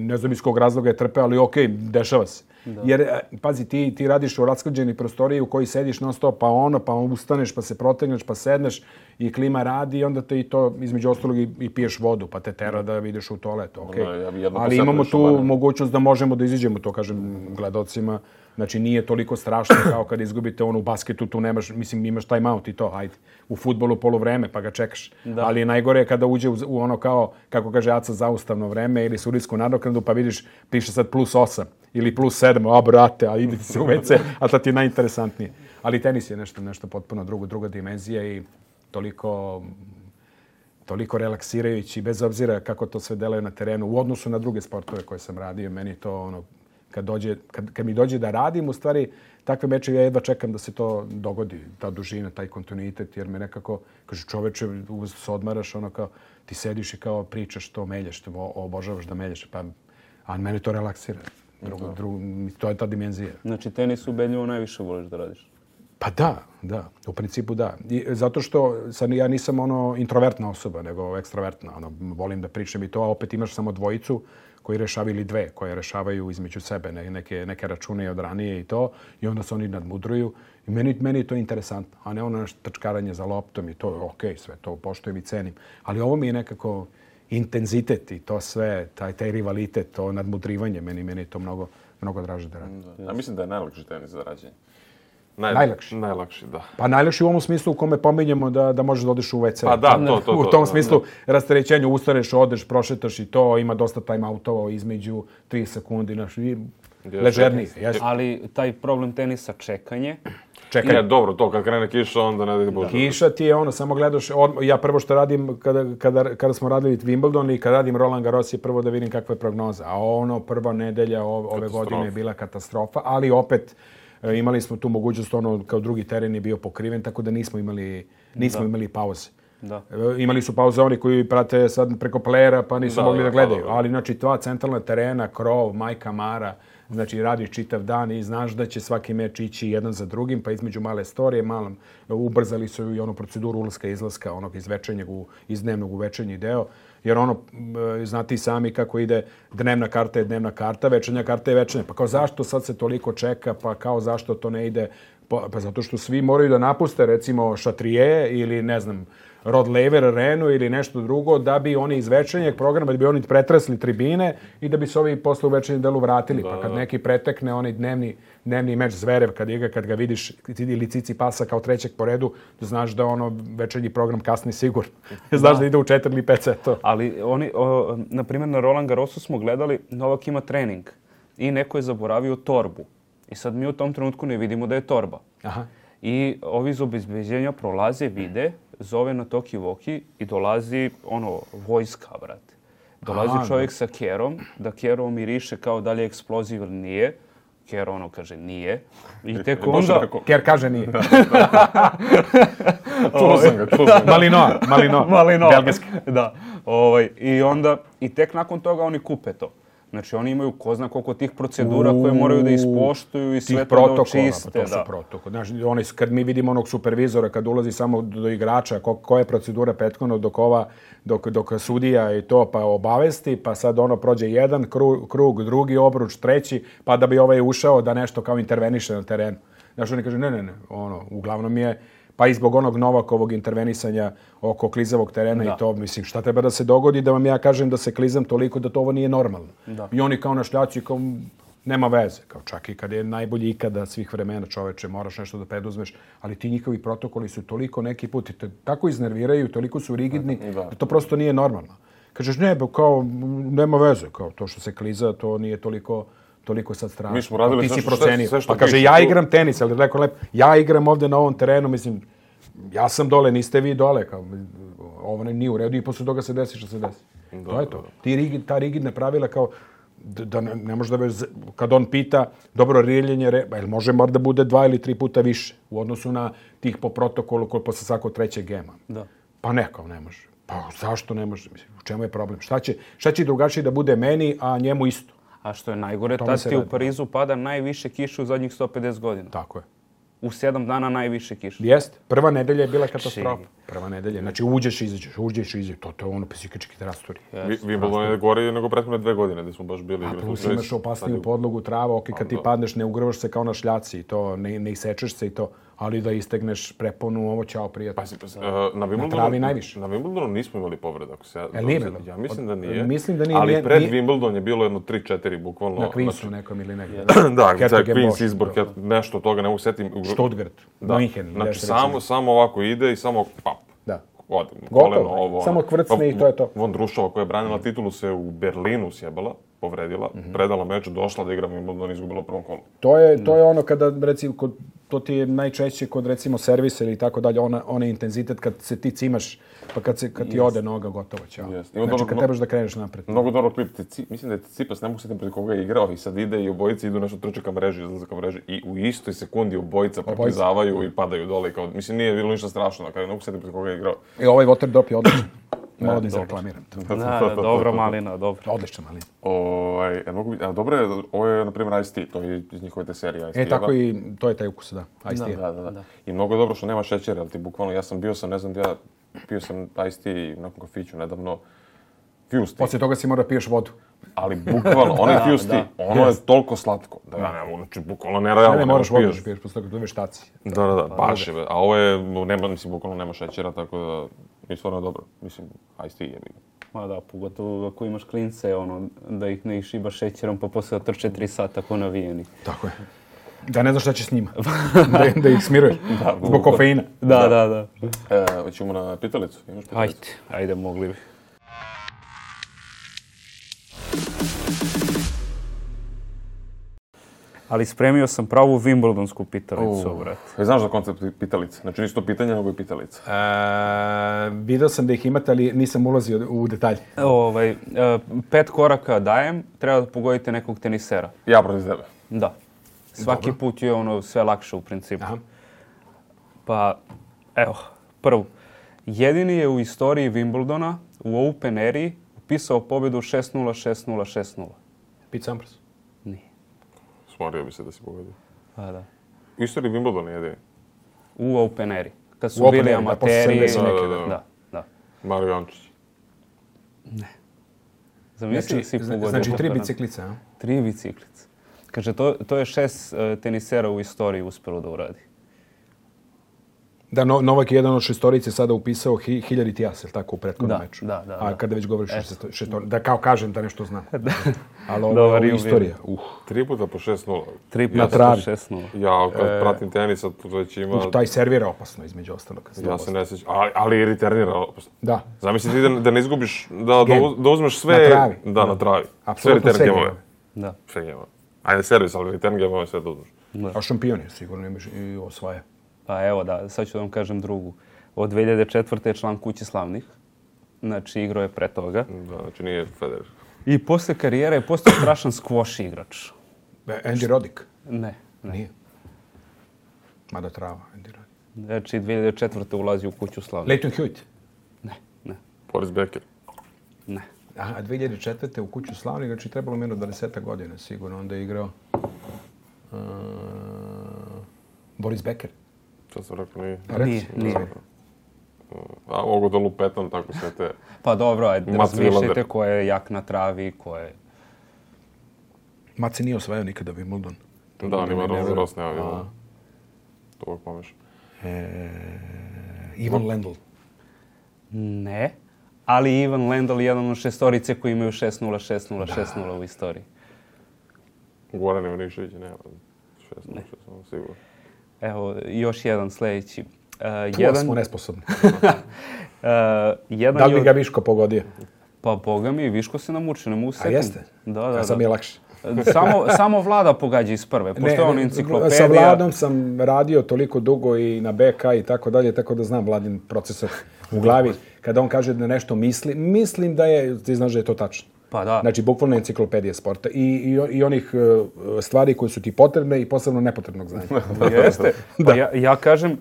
ne znam iz kog razloga je trpe, ali okej, dešava se. Jer, pazi, ti radiš u rasklađenoj prostoriji u kojoj sediš non stop, pa ustaneš, pa se protegneš, pa sedneš i klima radi i onda te i to, između ostalog, i piješ vodu, pa te tera da vidiš u toaletu, okej. Ali imamo tu mogućnost da možemo da iziđemo, to kažem gledalcima. Znači, nije toliko strašno kao kad izgubite u basketu, tu nemaš, mislim, imaš time out i to, ajde. U fudbalu poluvreme, pa ga čekaš. Ali najgore je kada uđe u ono kao, kako kaže Aca, zaustavno vreme ili sudijsku nadoknadu, pa vidiš, piše sad +8 ili +7, brate, a idite se u WC, a to ti je najinteresantnije. Ali tenis je nešto potpuno druga dimenzija i toliko relaksirajući, bez obzira kako to sve deluje na terenu, u odnosu na druge sportove koje sam radio. Meni to kad mi dođe da radim, u stvari, takve mečeve ja jedva čekam da se to dogodi, ta dužina, taj kontinuitet, jer me nekako, kaže, čoveče, se odmaraš, kao, ti sediš i kao pričaš to, melješ, obožavaš da melješ, a mene to relaksira. To je ta dimenzija. Znači, tenis ubedljivo najviše voliš da radiš? Pa da, u principu da. Zato što ja nisam introvertna osoba, nego ekstravertna. Volim da pričam i to, a opet imaš samo dvojicu koji rešavaju ili dve, koje rešavaju između sebe neke račune od ranije i to, i onda se oni nadmudruju. I meni je to interesantno, a ne ono trčkaranje za loptom i to, okej, sve to poštujem i cenim. Ali ovo mi je nekako intenzitet i to sve, taj rivalitet, to nadmudrivanje, meni je to mnogo draže da radim. Ja mislim da je najlakši tenis za rađenje. Najlakši, da. Pa najlakši u ovom smislu u kome pominjemo da možeš da odeš u WC. Pa da, to. U tom smislu rasterećenju ustaneš, odeš, prošetaš i to, ima dosta time-outova između 3 sekundi, ležerniji. Ali taj problem tenisa čekanje. Čekaj, dobro, to kad krene kiša, onda ne da bože. Kiša ti je samo gledaš, ja prvo što radim kada smo radili Wimbledon i kada radim Roland Garros je prvo da vidim kakva je prognoza. A prva nedelja ove godine je bila katastrofa, ali opet imali smo tu mogućnost, kao drugi teren je bio pokriven, tako da nismo imali pauze. Da. Imali su pauze oni koji prate sad preko playera pa nisu mogli da gledaju. Ali znači 2 centralna terena, krov, Majka Mara, znači radiš čitav dan i znaš da će svaki meč ići jedan za drugim, pa između male storije, ubrzali su i onu proceduru ulaska i izlaska onog iz dnevnog u večernji deo. Jer znate i sami kako ide dnevna karta je dnevna karta, večernja karta je večernja. Pa kao zašto sad se toliko čeka, pa kao zašto to ne ide? Pa zato što svi moraju da napuste recimo Šatrije ili ne znam, Rod Laver Arenu ili nešto drugo da bi oni iz večernjeg programa, da bi oni pretresli tribine i da bi se ovi posle u večernjem delu vratili. Pa kad neki pretekne onaj dnevni meč Zverev, kad ga vidiš ili Cicipasa kao trećeg po redu, da znaš da večernji program kasni sigurno. Znaš da ide u 4 ili 5 setova. Ali oni, na primjer na Roland Garrosu smo gledali, Novak ima trening i neko je zaboravio torbu. I sad mi u tom trenutku ne vidimo da je torba. Aha. I ovi iz obezbeđenja prolaze, vide, zove na Toki Voki i dolazi vojska, brate. Dolazi čovjek sa kerom, da kero miriše kao da li je eksploziv ili nije. Ker kaže nije. I tek onda... Ker kaže nije. Čuo sam ga. Malinois. Belgijski. Da. I tek nakon toga oni kupe to. Znači, oni imaju ko zna koliko tih procedura koje moraju da ispoštuju i sve to da očiste. To su protokoli. Znači, kad mi vidimo onog supervizora, kad ulazi samo do igrača, koja je procedura prethodno dok sudija i to pa obavesti, pa sad prođe jedan krug, drugi obruč, treći, pa da bi ovaj ušao da nešto kao interveniše na terenu. Znači, oni kaže, ne, uglavnom je... Pa i zbog onog Novakovog intervenisanja oko klizavog terena i to, mislim, šta treba da se dogodi da vam ja kažem da se klizam toliko da to ovo nije normalno. Da. I oni kao na šljaci, kao nema veze. Kao čak i kad je najbolji ikada svih vremena čoveče, moraš nešto da preduzmeš, ali ti njihovi protokoli su toliko neki put i te tako iznerviraju, toliko su rigidni da to prosto nije normalno. Kažeš, kao nema veze, kao to što se kliza, to nije toliko sad strašno. Mi smo radili sve što kaže, ja igram tenis, ali rekao lepo, ja igram ovdje na ovom terenu, mislim, ja sam dole, niste vi dole, kao, ovo nije u redu i posle toga se desi što se desi. To je to. Ta rigidna pravila kao, da ne može da kad on pita, dobro, riljenje, može da bude 2 ili 3 puta više u odnosu na tih po protokolu koji posle svakog trećeg gema. Da. Pa ne, kao ne može. Pa zašto ne može? Mislim, u čemu je problem? Šta će drugačije da bude meni, a njemu isto? A što je najgore, tad ti u Parizu pada najviše kiše u zadnjih 150 godina. Tako je. U 7 dana najviše kiše. Jeste. Prva nedelja je bila katastrofa. Prva nedelja. Znači uđeš i izađeš. To je psihički rastori. Wimbledon je gore nego prethodne 2 godine gdje smo baš bili. A plus imaš opasniju podlogu, trava, kad ti padneš ne ugrvaš se kao na šljaci i to, ne isečeš se i to. Ali da istegneš preponu, ovo čao prijatelj. Na travi najviše. Na Wimbledonu nismo imali povreda. Ja mislim da nije. Mislim da nije. Ali pred Wimbledon je bilo jedno 3-4 bukvalno. Na Queensu nekom ili negdje. Da, Queens izbor, nešto toga ne mogu setim. Stuttgart, München. Znači samo ovako ide i samo pap. Da. Koleno ovo. Samo kvrcne i to je to. Vondrušova koja je branila titulu se u Berlinu sjebala, povredila, predala meč, došla da igra Wimbledon, izgubila u prvom kolu. To je ono kada, recimo, to ti je najčešće kod, recimo, servisa ili tako dalje, onaj intenzitet kad se ti cimaš, pa kad ti ode noga, gotovo, ćao. Znači, kad trebaš da kreneš napred. Mnogo dobro klip. Mislim da je Tsitsipas, ne mogu sjetim protiv koga je igrao i sad ide i obojice idu nešto trče ka mreži, izlaze ka mreži i u istoj sekundi obojica proklizavaju i padaju dole. Mislim, nije bilo ništa strašno, ne mogu sjetim protiv koga je igrao. I ovaj water drop je odličan. Malo da izreklamiram to. Da, dobro Malina, dobro. Odlična Malina. Dobro je, ovo je, na primjer, Ice Tea, to je iz njihove te serije Ice Tea. Tako i to je taj ukus, da. Ice Tea. Da. I mnogo je dobro što nema šećera, ali ti bukvalno, pio sam Ice Tea na kafiću nedavno, Fuse Tea. Poslije toga si mora piješ vodu. Ali bukvalno, onaj Fuse Tea, ono je toliko slatko. Znači, bukvalno nerealno. Ne moraš vodu da piješ, poslije toga to je veštaci. Da, baš je. A ovo je, bukvalno nema šećera, tako da je stvarno dobro. Mislim, Ice Tea je bilo. Ma da, pogotovo ako imaš klince, da ih ne išibaš šećerom, pa poslije trče 3 sata ko navijeni. Tako je. Da ne znaš šta će s njima. da ih smiruješ. Zbog kofeina. Da. Hoćemo na pitalicu. Imaš pitalicu? Ajde, mogli bi. Ali spremio sam pravu Wimbledonsku pitalicu, brate. Znaš za koncept pitalice? Znači nisu to pitanja, nego je pitalica. Vidio sam da ih imate, ali nisam ulazio u detalje. 5 koraka dajem, treba da pogodite nekog tenisera. Ja protiv tebe. Da. Svaki put je sve lakše u principu. Aha. Pa, evo, prvo. Jedini je u istoriji Wimbledona u Open eri upisao pobjedu 6-0, 6-0, 6-0. Pete Sampras. Nije. Smorio bi se da si pogodio. Pa da. U istoriji Wimbledona jedini. U Open eri. Kad su U Open bili eri, da, amateri. posle 70 neke, Da. Mario Jančić. Ne. Zamisli da si pogodio. Znači 3 biciklice, a? 3 biciklice. Kaže, to je 6 tenisera u istoriji uspelo da uradi. Da, Novak je jedan od šestorice sada upisao 1000 jas, je tako, u prethodnom meču? Da. A kada već govoriš o šestorici, da kao kažem da nešto znam. Ali Dobar ovo je ili. istorija. 3 puta po 6-0. 3 puta Na travi. 6-0. Ja kad pratim tenis, sad već ima... Taj servira opasno između ostalog. Ja se ne sjećam, ali i returnira opasno. Da. Zamisli ti da ne izgubiš, da uzmeš sve... Na travi. Da, na travi. Apsolutno sve gamove. gamove. Da. Sve gamove. Ajde servis, ali return gamove sve da uzmeš. A šampion je sigurno imaš i osvaja. Pa evo da, sad ću da vam kažem drugu. Od 2004. je član Kuće slavnih. Znači, igrao je pre toga. Da, znači nije Federer. I posle karijere je postao strašan squash igrač. Andy Roddick? Ne. Nije. Mada trava, Andy Roddick. Znači, 2004. ulazi u Kuću slavnih. Leighton Hewitt? Ne. Boris Becker. Ne. A 2004. u Kuću slavnih, znači trebalo mi 20 godina sigurno. Onda je igrao Boris Becker. Što sam rekao, nije. Nije. A mogu da lupetam tako sve te... Pa dobro, ajde, Mats razmišljajte Wilander. ko je jak na travi, ko je... Mace nije osvajao nikada Wimbledon. Da, on ima Ross nema bilo. To uvijek pomeš. Ivan Lendl. Ne. Ali Ivan Lendl je jedan od šestorice koji imaju 6-0, 6-0, 6-0 u istoriji. Goran Ivanišević nema. 6-0, sigurno. Evo, još jedan sljedeći. Smo nesposobni. Jedan Da li bi je ga Viško pogodio? Pa boga mi, Viško se namučio, ne mogu A sekund. jeste? Da. Sad mi je lakše. Samo Vlada pogađa iz prve. Postoje ono enciklopedija. Sa Vladom sam radio toliko dugo i na BK i tako dalje, tako da znam Vladin procesor u glavi. Kada on kaže da nešto misli, mislim da je, ti znaš da je to tačno. Pa da. Znači, bukvalno enciklopedija sporta i onih stvari koje su ti potrebne i posebno nepotrebnog znanja. Jeste. Pa ja kažem,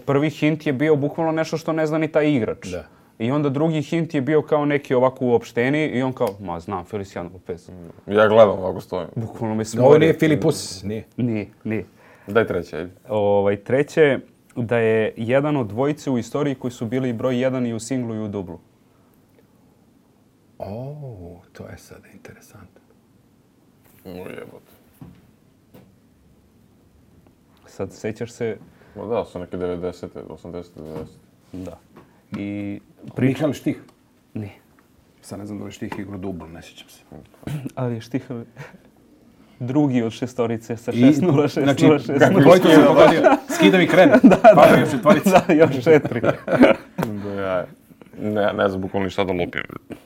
prvi hint je bio bukvalno nešto što ne zna ni taj igrač. Da. I onda drugi hint je bio kao neki ovako uopšteni i on kao, znam, Feliciano Lopez. Ja gledam ovako stojim. Bukvalno me Ovo nije Filipus, nije. Nije. Daj treće, ajde. Treće, da je jedan od dvojice u istoriji koji su bili broj 1 i u singlu i u dublu. To je sada interesantno. Jebote. Sad sećaš se... Da, su neke 90. 80. 90. Da. I Mihael Štih. Nije. Sad ne znam da li Štih igra dublu, ne sjećam se. Ali je Štih drugi od šestorice sa 6-0, 6-0, Znači, 6-0. koliko se pogodio? Skida mi krene. Pa još četvorica. Da, još 4. Ne znam bukvalno šta da lupim.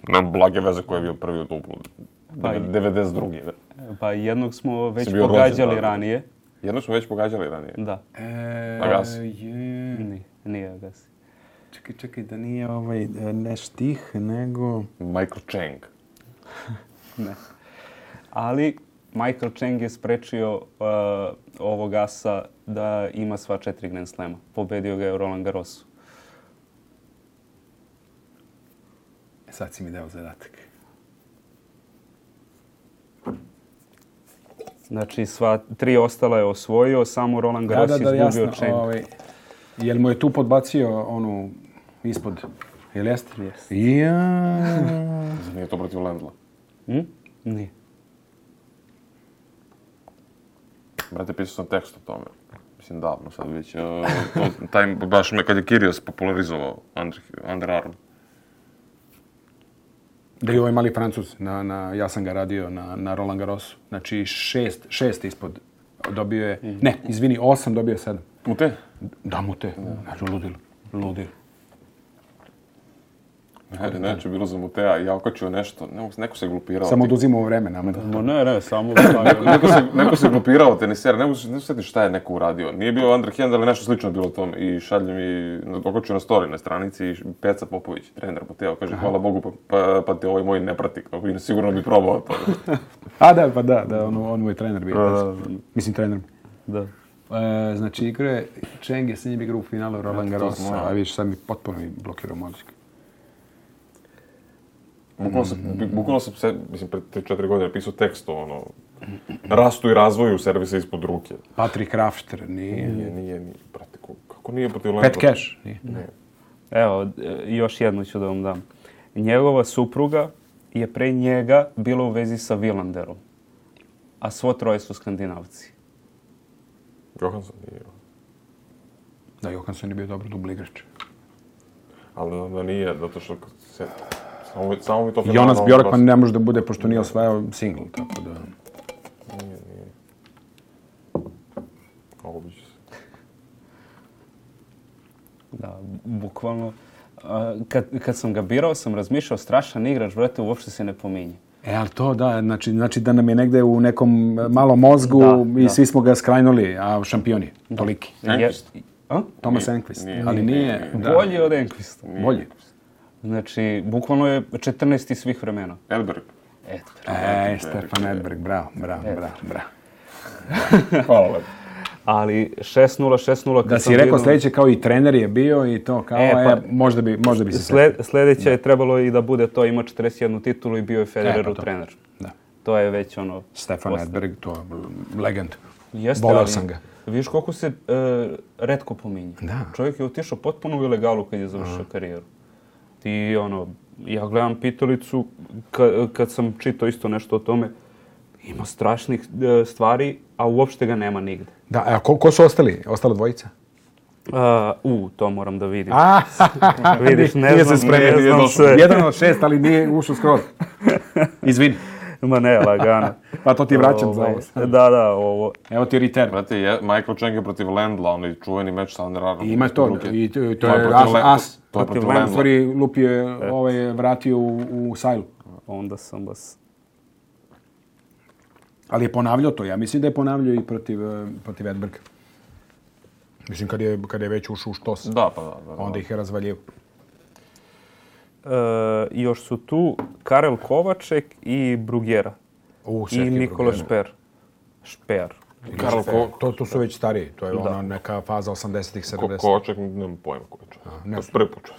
Nemam blage veze ko je bio prvi u duplu. 92. Pa jednog smo već bio pogađali rođen, ranije. Jednog smo već pogađali ranije. Da. Agassi. Nije Agassi. Čekaj, da nije ne Štih, nego... Michael Chang. Ne. Ali Michael Chang je sprečio ovog asa da ima sva 4 Grand Slema. Pobedio ga je u Roland Garrosu. Sad si mi dao zadatak. Znači, sva 3 ostala je osvojio, samo Roland Garros je izgubio Chang. Jel mu je tu podbacio onu ispod? Jel jeste? Jeste. Nije to protiv Lendla. Nije. Brate, pisao sam tekst o tome. Mislim, davno sad već. Baš kad je Kyrgios popularizovao Under Armour. Da je ovaj mali Francuz, ja sam ga radio na Roland Garrosu. Znači 6 ispod dobio je... Ne, izvini, 8, dobio je 7. Mute? Da, Mute. Znači, ludilo. Neće bilo za Mutea, ja okačio nešto, neko se glupirao. Samo oduzimao vreme nama. Ne, samo... Neko se glupirao tenisera, ne se sjetiti šta je neko uradio. Nije bio underhand, ali nešto slično bilo tome. I šalje mi, okačio na story na stranici, i Peca Popović, trener Muteo, kaže hvala Bogu, pa te ovaj moj ne prati, sigurno bi probao to. A da, on moj trener bio. Mislim, trener. Da. Znači, igre, Cheng je s njim igrao u finalu Roland Garrosa, a vidiš, sad mi potpuno blokirao mozak. Bukvalno sam, mislim, pred 4 godine pisao tekst o rastu i razvoju servisa ispod ruke. Patrick Rafter, Nije, brate, kako nije protiv Lendla? Pat Cash, nije. Evo, još jednu ću da vam dam. Njegova supruga je pre njega bila u vezi sa Wilanderom, a svo troje su Skandinavci. Johansson nije. Da, Johansson je bio dobro dubli igrač. Ali da nije, zato što samo mi to... Jonas Bjorkman ne može da bude, pošto nije osvajao singl, tako da... Nije. Ovo biće se. Da, bukvalno. Kad sam ga birao, sam razmišljao, strašan igrač, brate, uopšte se ne pominje. Ali to da, znači da nam je negde u nekom malom mozgu i svi smo ga skrajnuli, a šampion je, toliki. Enquist. Thomas Enquist, ali nije... Bolji od Enquista. Bolji. Znači, bukvalno je 14. svih vremena. Edberg. Stefan Edberg, bravo. Hvala lepo. Ali 6-0. Da si rekao sljedeće, kao i trener je bio i to kao, možda bi se sjetio. Sljedeće je trebalo i da bude to, ima 41 titulu i bio je Federerov trener. Da. To je već ono... Stefan Edberg, to je legend. Jeste, voleo sam ga. Vidiš koliko se retko pominje. Da. Čovjek je otišao potpuno u ilegalu kad je završio karijeru. Ti, ja gledam pitalicu, kad sam čitao isto nešto o tome, ima strašnih stvari, a uopšte ga nema nigde. Da, a ko su ostali? Ostala dvojica? To moram da vidim. Vidiš, ne znam sve. 1 od 6, ali nije ušao skroz. Izvini. Ma ne, lagano. Pa to ti vraćam za ovo. Da, ovo. Evo ti return. Brate, Michael Chang je protiv Lendla, onaj čuveni meč sa Underarmom. Ima to, i to je as. To je protiv Lendla. Stvari, Lupi je vratio u sajlu. Onda sam vas... Ali je ponavljao to, ja mislim da je ponavljao i protiv Edberga. Mislim, kad je već ušao u štos. Da, pa da. Onda ih je razvaljivo. Još su tu Karel Kovaček i Bruguera. I Nikola Šper. To su već stariji. To je ona neka faza 80-ih, 70-ih. Kovaček, nemam pojma koji je čovjek. To je prvi put.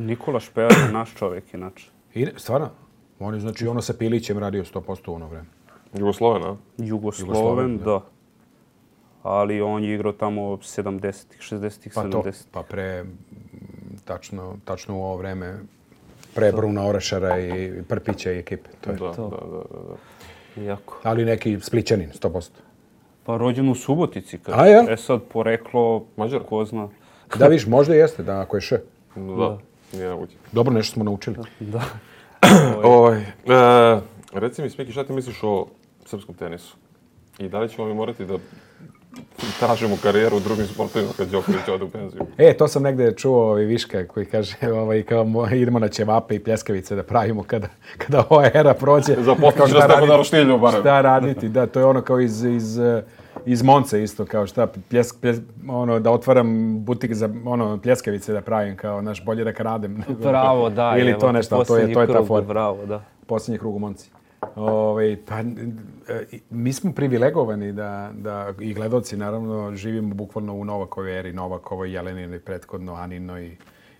Nikola Šper je naš čovjek, inače. Stvarno? On je, znači, sa Pilićem radio 100% u ono vreme. Jugosloven, a? Jugosloven, da. Ali on je igrao tamo 70-ih, 60-ih, 70-ih. Pa pre, tačno u ovo vreme, pre Bruna Orašara i Prpića i ekipe. To je to. Jako. Ali neki Splićanin, 100%. Pa rođen u Subotici. A ja? Sad poreklo, Mađar, ko zna. Da, viš, možda jeste, da, ako je še. Da, nije navući. Dobro, nešto smo naučili. Da. Reci mi, Smiki, šta ti misliš o srpskom tenisu? I da li ćemo mi morati da tražimo karijeru u drugim sportovima kad Đoković ode u penziju? To sam negde čuo Viška koji kaže kao idemo na ćevape i pljeskavice da pravimo kada ova era prođe. Zaposliš da ste na roštilju barem. Šta raditi, da, to je ono kao iz Monce isto, kao šta da otvaram butik za pljeskavice da pravim, kao bolje da kradem. Bravo, da. Ili to nešto, to je ta forma. Bravo, da. Posljednji krug u Monci. Mi smo privilegovani da i gledoci naravno živimo bukvalno u Novakovoj eri, Novakovoj, Jeleninoj, prethodno Aninoj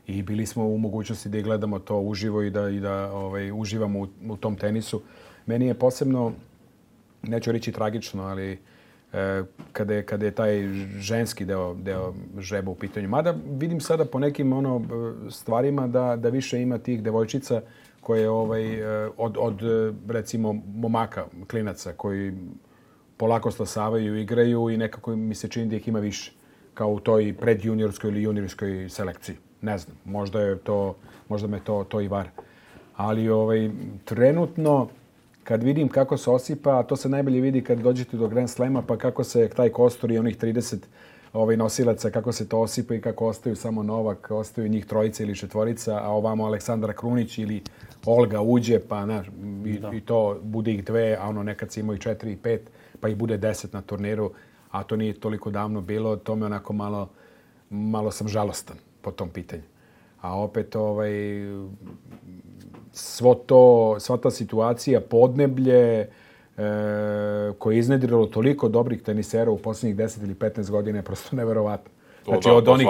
i bili smo u mogućnosti da gledamo to uživo i da uživamo u tom tenisu. Meni je posebno, neću reći tragično, ali kada je taj ženski deo žreba u pitanju. Mada vidim sada po nekim stvarima da više ima tih devojčica koje od recimo momaka, klinaca koji polako stasavaju, igraju i nekako mi se čini da ih ima više kao u toj predjuniorskoj ili juniorskoj selekciji. Ne znam, možda me to i vara. Ali trenutno kad vidim kako se osipa, a to se najbolje vidi kad dođete do Grand Slema, pa kako se taj kostur i onih 30 nosilaca, kako se to osipa i kako ostaju samo Novak, ostaju njih trojica ili četvorica, a ovamo Aleksandra Krunić ili Olga uđe, pa i to bude ih 2, a nekad se imaju 4 i 5, pa ih bude 10 na turniru, a to nije toliko davno bilo, to me onako malo sam žalostan po tom pitanju. A opet sva ta situacija, podneblje koje je iznedrilo toliko dobrih tenisera u posljednjih 10 ili 15 godina je prosto neverovatno. Znači od onih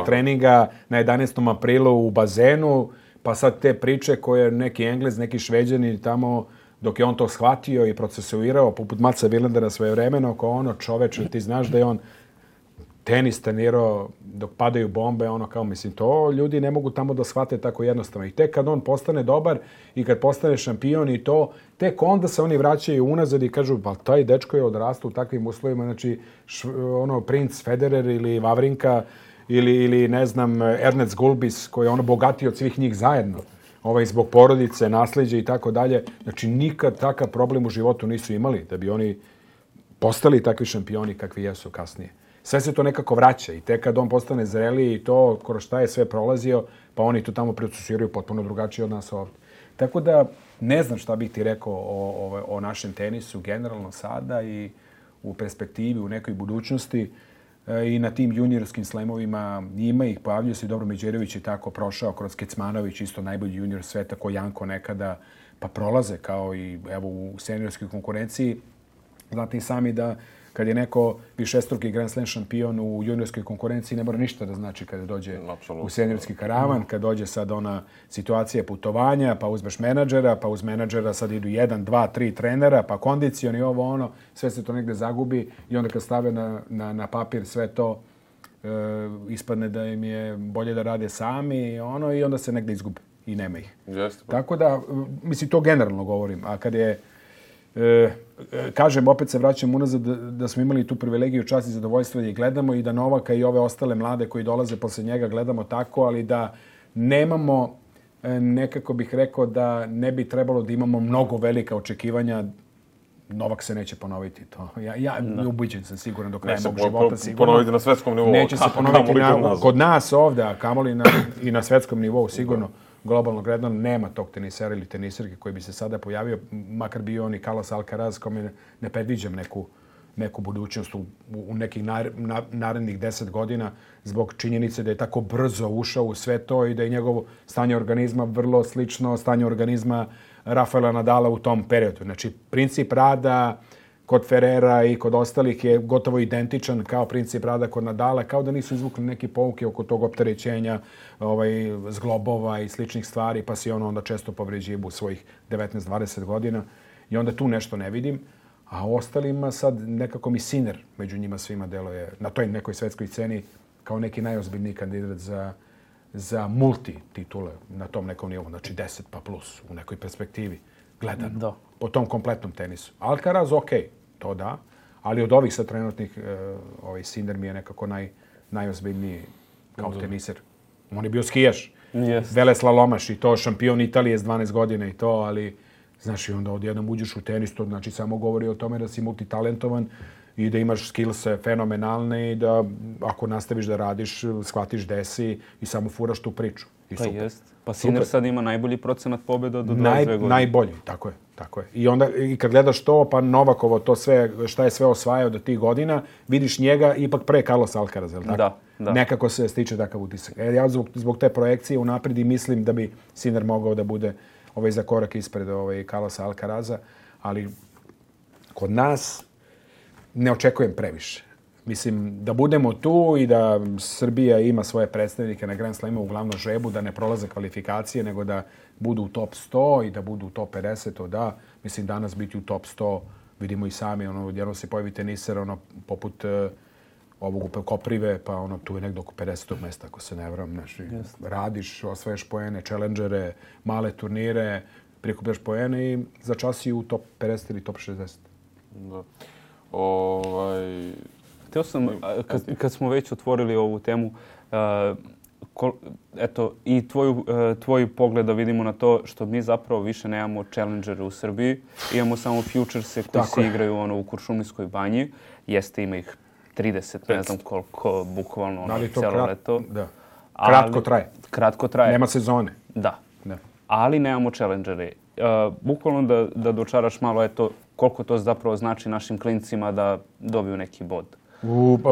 treninga na 11. aprilu u bazenu, pa sad te priče koje neki Englez, neki Šveđani tamo, dok je on to shvatio i procesuirao, poput Matsa Vilandera svojevremeno, kao čoveče, ti znaš da je on tenis trenirao dok padaju bombe, to ljudi ne mogu tamo da shvate tako jednostavno. I tek kad on postane dobar i kad postane šampion i to, tek onda se oni vraćaju unazad i kažu, pa taj dečko je odrastao u takvim uslovima, znači princ Federer ili Vavrinka ili ne znam, Ernest Gulbis koji je bogatiji od svih njih zajedno. Zbog porodice, nasljeđa i tako dalje. Znači nikad takav problem u životu nisu imali da bi oni postali takvi šampioni kakvi jesu kasnije. Sve se to nekako vraća i tek kad on postane zreliji i to kroz šta je sve prolazio, pa oni to tamo procesiraju potpuno drugačije od nas ovdje. Tako da ne znam šta bih ti rekao o našem tenisu generalno sada i u perspektivi, u nekoj budućnosti. I na tim juniorskim slemovima ima ih, pojavljaju se i Dobro Međerović je tako prošao kroz Kecmanović, isto najbolji junior sveta ko Janko nekada, pa prolaze kao i u seniorskoj konkurenciji. Znate i sami da kad je neko višestruki Grand Slam šampion u juniorskoj konkurenciji, ne mora ništa da znači kada dođe u seniorski karavan, kad dođe sad ona situacija putovanja, pa uzmeš menadžera, pa uz menadžera sad idu 1, 2, 3 trenera, pa kondicioni sve se to negde zagubi i onda kad stave na papir sve to, ispadne da im je bolje da rade sami i onda se negde izgube i nema ih. Tako da, mislim, to generalno govorim, a kad je kažem, opet se vraćam unazad da smo imali tu privilegiju, čast i zadovoljstvo da ih gledamo i da Novaka i ove ostale mlade koji dolaze posle njega gledamo tako, ali da nemamo, nekako bih rekao da ne bi trebalo da imamo mnogo velika očekivanja. Novak se neće ponoviti to. Ja ubiđen sam siguran do kraja mog života. Ponoviti na svetskom nivou. Neće se ponoviti kod nas ovdje, a kamoli i na svetskom nivou sigurno. Globalno gledano nema tog tenisera ili teniserke koji bi se sada pojavio, makar bio on i Carlos Alcaraz, kome ne predviđam neku budućnost u nekih narednih 10 godina zbog činjenice da je tako brzo ušao u sve to i da je njegovo stanje organizma vrlo slično stanje organizma Rafaela Nadala u tom periodu. Znači, princip rada kod Ferrera i kod ostalih je gotovo identičan kao princip rada kod Nadala, kao da nisu izvukli neke pouke oko tog opterećenja zglobova i sličnih stvari, pa si onda često povređuje u svojih 19-20 godina i onda tu nešto ne vidim. A ostalima sad nekako mi Sinner među njima svima deluje na toj nekoj svetskoj sceni kao neki najozbiljniji kandidat za multi titule na tom nekom nivou, znači 10 pa plus u nekoj perspektivi gledano. Po tom kompletnom tenisu. Alcaraz, to da, ali od ovih sad trenutnih Sinner mi je nekako najozbiljniji kao teniser. On je bio skijaš, veleslalomaš i to šampion Italije s 12 godina i to, ali znaš i onda odjednom uđeš u tenis, to znači samo govori o tome da si multitalentovan i da imaš skillse fenomenalne i da ako nastaviš da radiš, shvatiš gde si i samo furaš tu priču. I super. Jest. Pa Sinner sad ima najbolji procenat pobjeda do 22 godine. Najbolji, tako je. I onda i kad gledaš to, pa Novakovo to sve, šta je sve osvajao do tih godina, vidiš njega ipak pre Carlos Alcaraza, tako? Da. Nekako se stiče takav utisak. Ja zbog te projekcije unaprijed i mislim da bi Sinner mogao da bude za korak ispred Carlosa Alcaraza, ali kod nas ne očekujem previše. Mislim, da budemo tu i da Srbija ima svoje predstavnike na Grand Slamu u glavnom žrebu, da ne prolaze kvalifikacije, nego da budu u top 100 i da budu u top 50, to da. Mislim, danas biti u top 100, vidimo i sami, jedno se pojavi teniser, poput ovog Koprive, pa tu je nekdo oko 50. mesta, ako se ne varam. Znači, radiš, osvajaš poene, challengere, male turnire, prikupljaš poene i za čas i u top 50 ili top 60. Da. Htio sam, kad smo već otvorili ovu temu, eto, i tvoj pogled da vidimo na to što mi zapravo više nemamo challengere u Srbiji. Imamo samo futurese koji se igraju u Kuršumlijskoj banji. Jeste, ima ih 30, ne znam koliko, bukvalno cijelo leto. Da. Kratko traje. Kratko traje. Nema sezone. Da. Ali nemamo challengere. Bukvalno da dočaraš malo, eto, koliko to zapravo znači našim klincima da dobiju neki bod.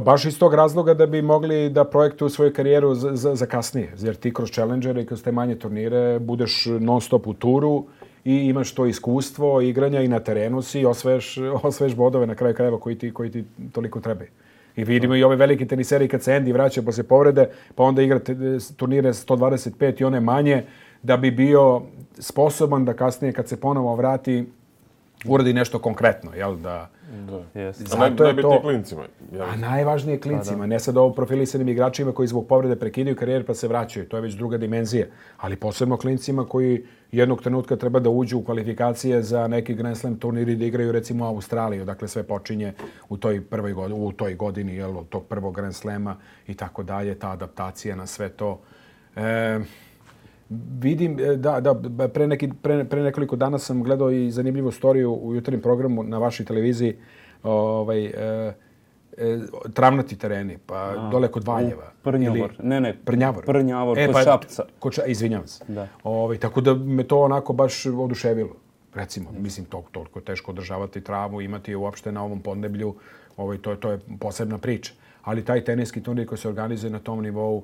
Baš iz tog razloga da bi mogli da projektuju svoju karijeru za kasnije. Jer ti kroz challengere i kroz te manje turnire budeš non stop u turu i imaš to iskustvo igranja i na terenu si i osvaješ bodove na kraju krajeva koji ti toliko trebaju. I vidimo i ove velike teniseri kad se Andy vraća posle povrede, pa onda igra turnire 125 i one manje, da bi bio sposoban da kasnije kad se ponovo vrati uradi nešto konkretno, jel da? Zato je to klincima. A najvažnije klincima, ne sad ovo profilisanim igračima koji zbog povrede prekidaju karijer pa se vraćaju, to je već druga dimenzija, ali posebno klincima koji jednog trenutka treba da uđu u kvalifikacije za neki Grand Slam turnir i da igraju recimo u Australiju, dakle sve počinje u toj godini, jel, od tog prvog Grand Slama i tako dalje, ta adaptacija na sve to. Vidim, pre nekoliko dana sam gledao i zanimljivu storiju u jutarnjem programu na vašoj televiziji, travnati tereni, pa dole kod Valjeva. Prnjavor. Prnjavor. Prnjavor, kod Šapca. Izvinjavam se. Tako da me to onako baš oduševilo. Recimo, mislim, toliko teško održavati travu, imati uopšte na ovom podneblju, to je posebna priča. Ali taj teniski turnir koji se organizuje na tom nivou,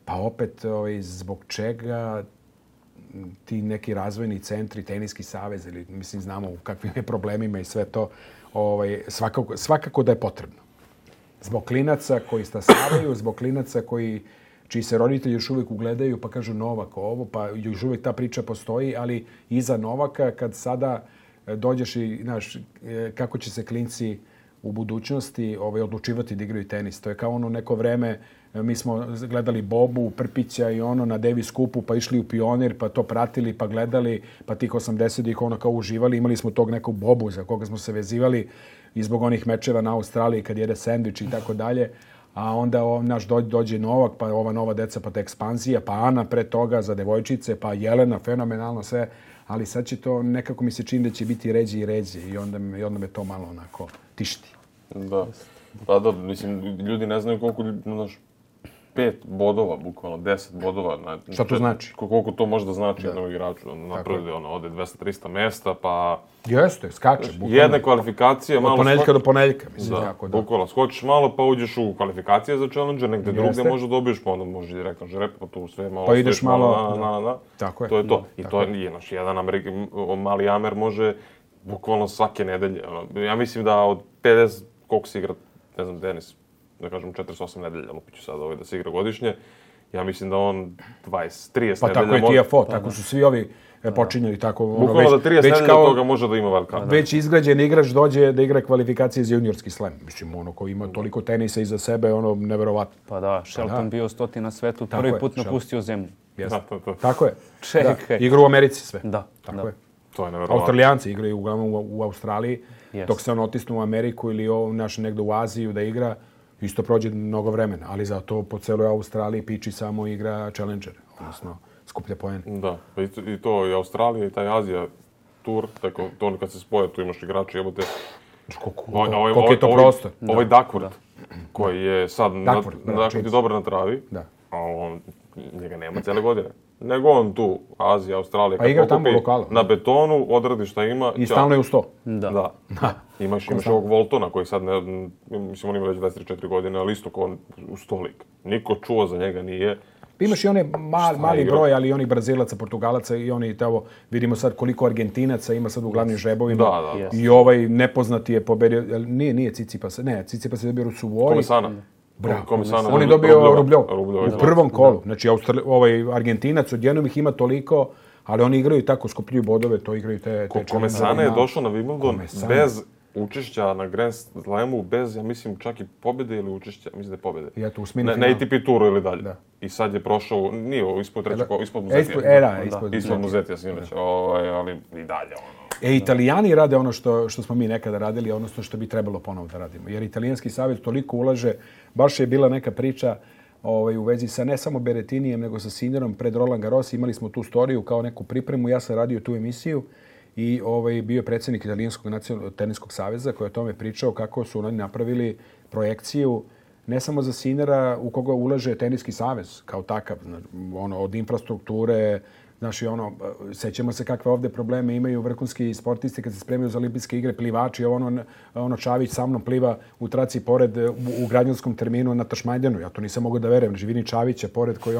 pa opet, zbog čega ti neki razvojni centri, teniski savez, ili mislim znamo u kakvim je problemima i sve to, svakako da je potrebno. Zbog klinaca koji stasavaju, zbog klinaca čiji se roditelji još uvijek ugledaju pa kažu Novak ovo, pa još uvijek ta priča postoji, ali iza Novaka kad sada dođeš i znaš kako će se klinci u budućnosti odlučivati da igraju tenis. To je kao ono neko vreme, mi smo gledali Bobu, Prpića i ono na Davis Cupu, pa išli u Pionir, pa to pratili, pa gledali, pa tih 80-ih ono kao uživali. Imali smo tog nekog Bobu za koga smo se vezivali i zbog onih mečeva na Australiji kad jede sendvič i tako dalje. A onda naš dođe Novak, pa ova nova deca, pa ta ekspanzija, pa Ana pre toga za devojčice, pa Jelena, fenomenalno sve. Ali sad će to, nekako mi se čini da će biti ređe i ređe i onda me to malo onako tišti. Da. Pa da, mislim, ljudi ne znaju koliko, 5 bodova, bukvalno 10 bodova. Šta to znači? Koliko to može da znači jednom igraču. Naprede, ode 200-300 mesta, pa... Jeste, skače. Jedne kvalifikacije, malo... Od ponedeljka do ponedeljka, mislim. Da, bukvalno. Skočiš malo, pa uđeš u kvalifikacije za Challenger, negde drugde možda dobiješ, pa onda možeš direktno žrep, pa tu sve malo... Pa ideš malo... Tako je. To je to. I to je naš jedan mali Amer može bukvalno svake nedelje. Ja mislim da od 50, koliko se igra, ne znam, tenis, da kažem 48 nedelja, lupiću sad da se igra godišnje. Ja mislim da on 20-30 nedelja... Pa tako je TFO, tako su svi ovi počinjali tako... Bukvalno da 30 nedelja toga može da ima velika. Već izgrađen igrač dođe da igra kvalifikacije za juniorski slam. Mislim, ono ko ima toliko tenisa iza sebe, ono, neverovatno. Pa da, Shelton bio 100 na svetu, prvi put napustio zemlju. Tako je. Čekaj. Igru u Americi sve. Da. Tako je. To je neverovatno. Australijanci igraju uglavnom u Australiji, dok se on otisnu u Ameriku ili negde u Aziju da igra, isto prođe mnogo vremena, ali zato po celoj Australiji Piči samo igra Challenger, odnosno skuplja poene. Da, i to i Australija i taj Azija tur, tako to kad se spoje, tu imaš igrače, jebote. Koliko je to prostor? Ovaj Duckworth, koji je sad dobar na travi, a on njega nema cijele godine. Nego on tu, Azija, Australija, pa igra tamo lokala. Na betonu, odradi šta ima. I stalno je u 100. Da. Imaš ovog Voltona koji sad, mislim, on ima već 24 godine, ali isto kao on u 100 lik. Niko čuo za njega nije. Imaš i one mali broj, ali i onih Brazilaca, Portugalaca i oni, vidimo sad koliko Argentinaca ima sad u glavnim žrebovima. Da. I ovaj nepoznati je pobedio, nije Tsitsipas, Tsitsipas je dobio Russuvori. Komisana. Bravo. On je dobio Rubljov u prvom kolu. Znači, Argentinac odjednom ih ima toliko, ali oni igraju tako, skupljuju bodove, to igraju te Komesana je došao na Wimbledon bez učešća na Grand Slamu, bez, ja mislim, čak i pobjede ili učešća, mislim da je pobjede. I eto, u smini finala. Na ATP turu ili dalje. I sad je prošao, nije ispod trećeg, ispod Muzetija. Ispod Muzetija, sinoć, ali i dalje. Italijani rade ono što smo mi nekada radili, odnosno što bi trebalo ponovo da radimo. Jer italijanski savjet toliko ulaže, baš je bila neka priča u vezi sa ne samo Berrettinijem, nego sa Sinnerom pred Roland Garros. Imali smo tu storiju kao neku pripremu. Ja sam radio tu emisiju i bio je predsjednik Italijanskog teniskog saveza koji je o tome pričao kako su oni napravili projekciju ne samo za Sinnera u koga ulaže teniski savez kao takav, od infrastrukture. Znači, sećamo se kakve ovdje probleme imaju vrhunski sportisti kad se spremaju za olimpijske igre, plivači, Čavić sa mnom pliva u traci pored u građanskom terminu na Tašmajdenu. Ja to nisam mogao da verujem. Znači, vidim Čavića pored koji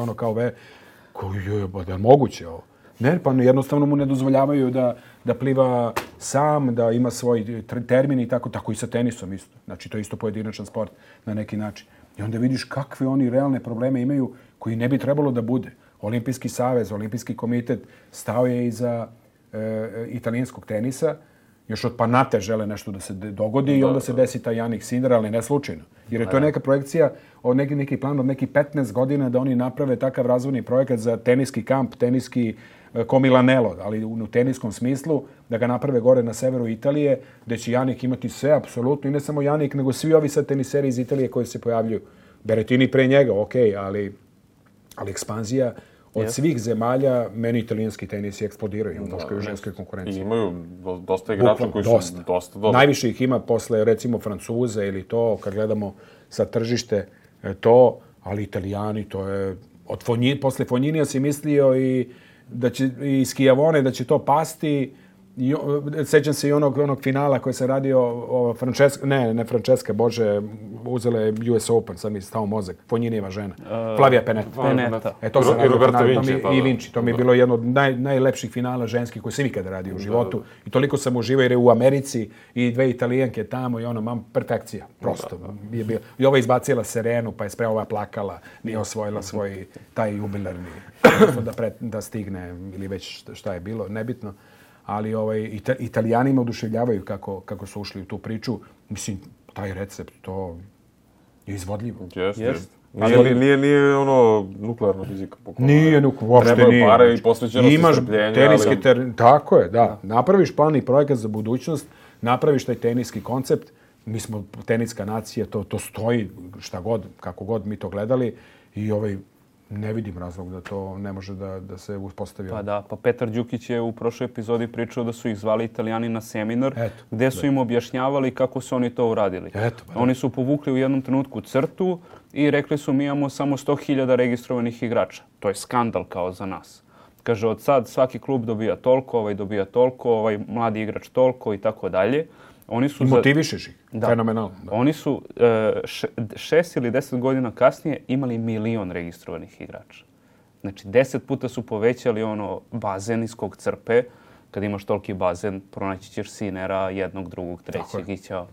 je moguće ovo. Ne, pa jednostavno mu ne dozvoljavaju da pliva sam, da ima svoj termin i tako i sa tenisom isto. Znači, to je isto pojedinačan sport na neki način. I onda vidiš kakve oni realne probleme imaju koji ne bi trebalo da bude. Olimpijski savez, Olimpijski komitet stao je iza italijanskog tenisa. Još od Panate žele nešto da se dogodi i onda se desi taj Jannik Sinner, ali ne slučajno. Jer je to neka projekcija, neki plan od nekih 15 godina da oni naprave takav razvojni projekat za teniski kamp, teniski Milanello, ali u teniskom smislu, da ga naprave gore na severu Italije, gde će Jannik imati sve apsolutno, i ne samo Jannik, nego svi ovi sad teniseri iz Italije koji se pojavljuju. Berrettini pre njega, ali ekspanzija od svih zemalja, meni italijanski tenis je eksplodirao, muškoj i ženskoj konkurenciji. I imaju dosta igrača koji su dosta dobri. Najviše ih ima posle, recimo, Francuza ili to, kad gledamo sa tržište, to, ali Italijani, to je... Posle Fogninija si mislio i Schiavone da će to pasti. Sećam se i onog finala koji se radio Francesca, bože, uzela je US Open, sad mi je stao mozak. Fognijeva žena. Flavia Pennetta. To se radio i Vinci. To mi je bilo jedno od najlepših finala ženskih koji sam ikada radio u životu. I toliko sam uživao jer je u Americi i dve Italijanke tamo i perfekcija. Prosto. I ova izbacila Serenu, pa je ova plakala, nije osvojila svoj taj jubilarni da stigne ili već šta je bilo, nebitno. Ali Italijani me oduševljavaju kako su ušli u tu priču. Mislim, taj recept, to je izvodljivo. Jeste. Nije nuklearna fizika. Nije uopšte nije. Treba pare i posvećenost i strpljenja. Tako je, da. Napraviš plan i projekat za budućnost, napraviš taj teniski koncept. Mi smo teniska nacija, to stoji šta god, kako god mi to gledali. I ne vidim razlog da to ne može da se uspostavi. Pa Petar Đukić je u prošloj epizodi pričao da su ih zvali Italijani na seminar, gde su im objašnjavali kako su oni to uradili. Oni su povukli u jednom trenutku crtu i rekli su mi imamo samo 100.000 registrovanih igrača. To je skandal kao za nas. Kaže, od sad svaki klub dobija toliko, dobija toliko, mladi igrač toliko i tako dalje. I motivišeš ih. Fenomenalno. Oni su 6 ili 10 godina kasnije imali 1 milion registrovanih igrača. Znači, 10 puta su povećali bazen iz kog crpe. Kad imaš toliki bazen, pronaći ćeš Sinnera, jednog, drugog, trećeg i ćao.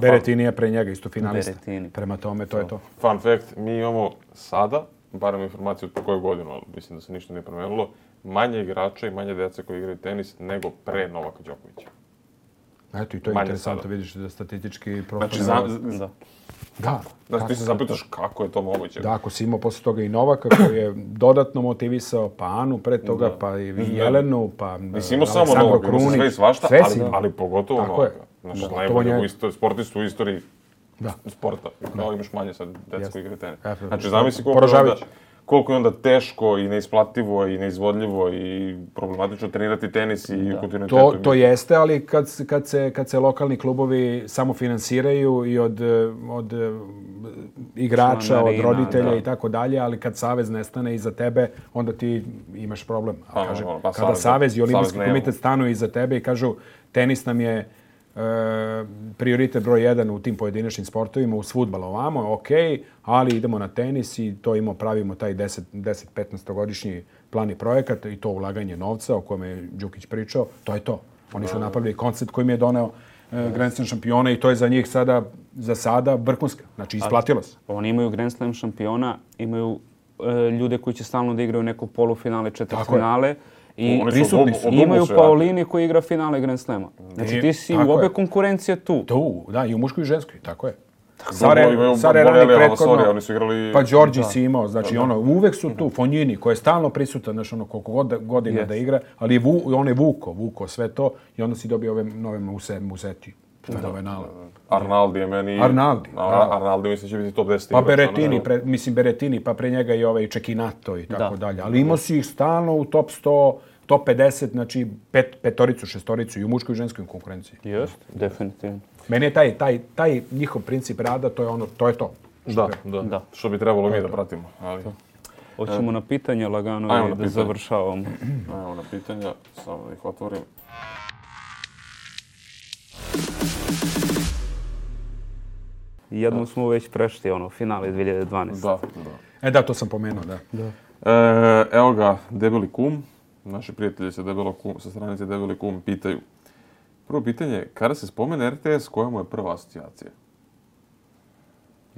Berrettini je pre njega isto finalista. Prema tome, to je to. Fun fact, mi imamo sada, barem informaciju po koju godinu, ali mislim da se ništa nije promenilo, manje igrača i manje djece koji igraju tenis nego pre Novaka Đokovića. Eto, i to je interesantno, vidiš da statistički profil... Znači, ti se zapitaš kako je to moguće. Da, ako si imao posle toga i Novaka koji je dodatno motivisao, pa Anu pred toga, pa i Jelenu, pa Aleksandro Krunić. Sve i svašta, ali pogotovo Novaka. Znači, najbolji sportist u istoriji sporta. Kao imaš manje sad djeca koji igraju tenis. Znači, zamisli koliko je onda teško i neisplativo i neizvodljivo i problematično trenirati tenis i u kontinuitetu. To jeste, ali kad se lokalni klubovi samo finansiraju i od igrača, od roditelja i tako dalje, ali kad savez nestane iza tebe, onda ti imaš problem. Kada savez i olimpijski komitet stanu iza tebe i kažu tenis nam je prioritet broj 1 u tim pojedinačnim sportovima, uz fudbal ovamo, ali idemo na tenis i to pravimo taj 10-15-godišnji plan i projekat i to ulaganje novca o kojem je Đukić pričao, to je to. Oni su napravili koncept koji mi je doneo Grand Slam šampiona i to je za njih za sada vrhunska. Znači, isplatilo se. Oni imaju Grand Slam šampiona, imaju ljude koji će stalno da igraju neko polufinale, četvrtfinale. I prisutni su. Imaju Paolini koji igra finale Grand Slama. Znači ti si u obe konkurencije tu. Da, i u muškoj i ženskoj, tako je. Oni su igrali... Pa Đorđi si imao, znači uvek su tu. Fognini koji je stalno prisutan, znači koliko godina da igra, ali on je vuko sve to i onda si dobio ove nove Musetti. Fenomenalan. Arnaldi je meni... Arnaldi mislim će biti top 10. Pa Berettini, pa pre njega i ovaj Čekinato i tako dalje. Ali imao si ih stalno u top 100, top 50, znači petoricu, šestoricu i u muškoj i ženskoj konkurenciji. Jest, definitivno. Meni je taj njihov princip rada, to je to. Da. Što bi trebalo mi da pratimo. Ali... Hoćemo na pitanja lagano i da završavamo. Ajmo na pitanja, samo da ih otvorim. Jednom smo već prešli, finale 2012. Da. To sam pomenuo, da. Evo ga, Debeli kum. Naši prijatelji sa stranice Debeli kum pitaju. Prvo pitanje, kada se spomene RTS, koja mu je prva asocijacija?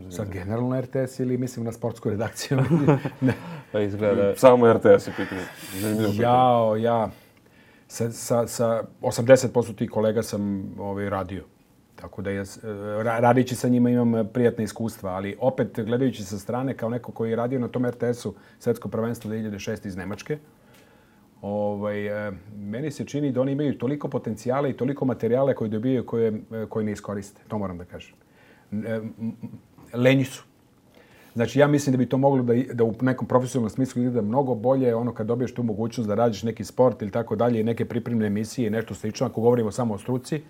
Sad generalno RTS ili mislim na sportsku redakciju? Ne. Pa izgleda... Samo RTS je pitanje. Ja sa 80% tih kolega sam radio. Tako da radići sa njima imam prijatne iskustva, ali opet gledajući sa strane kao neko koji je radio na tom RTS-u Svetsko prvenstvo 2006 iz Nemačke, meni se čini da oni imaju toliko potencijala i toliko materijale koji dobijaju koji ne iskoriste. To moram da kažem. Lenji su. Znači, ja mislim da bi to moglo da u nekom profesionalnom smislu izgleda mnogo bolje kad dobiješ tu mogućnost da radiš neki sport ili tako dalje i neke pripremne emisije i nešto slično, ako govorimo samo o struci.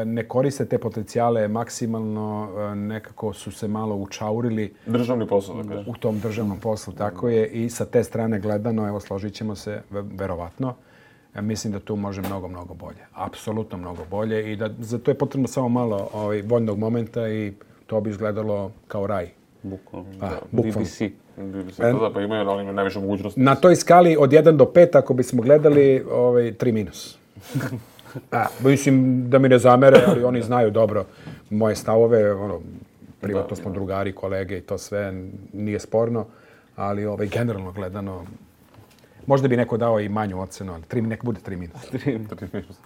Ne koriste te potencijale maksimalno, nekako su se malo učaurili. Državni posao, da kažem. U tom državnom poslu, tako je. I sa te strane gledano, evo, složit ćemo se, verovatno. Mislim da tu može mnogo, mnogo bolje. Apsolutno mnogo bolje i da za to je potrebno samo malo voljnog momenta i to bi izgledalo kao raj. Bukvalno. BBC, pa imaju oni najviše mogućnosti. Na toj skali od 1 do 5, ako bismo gledali, 3 minus. Mislim da mi ne zamere, ali oni znaju dobro moje stavove. Privatno smo drugari, kolege i to sve nije sporno, ali generalno gledano možda bi neko dao i manju ocenu, ali nek bude 3 minus.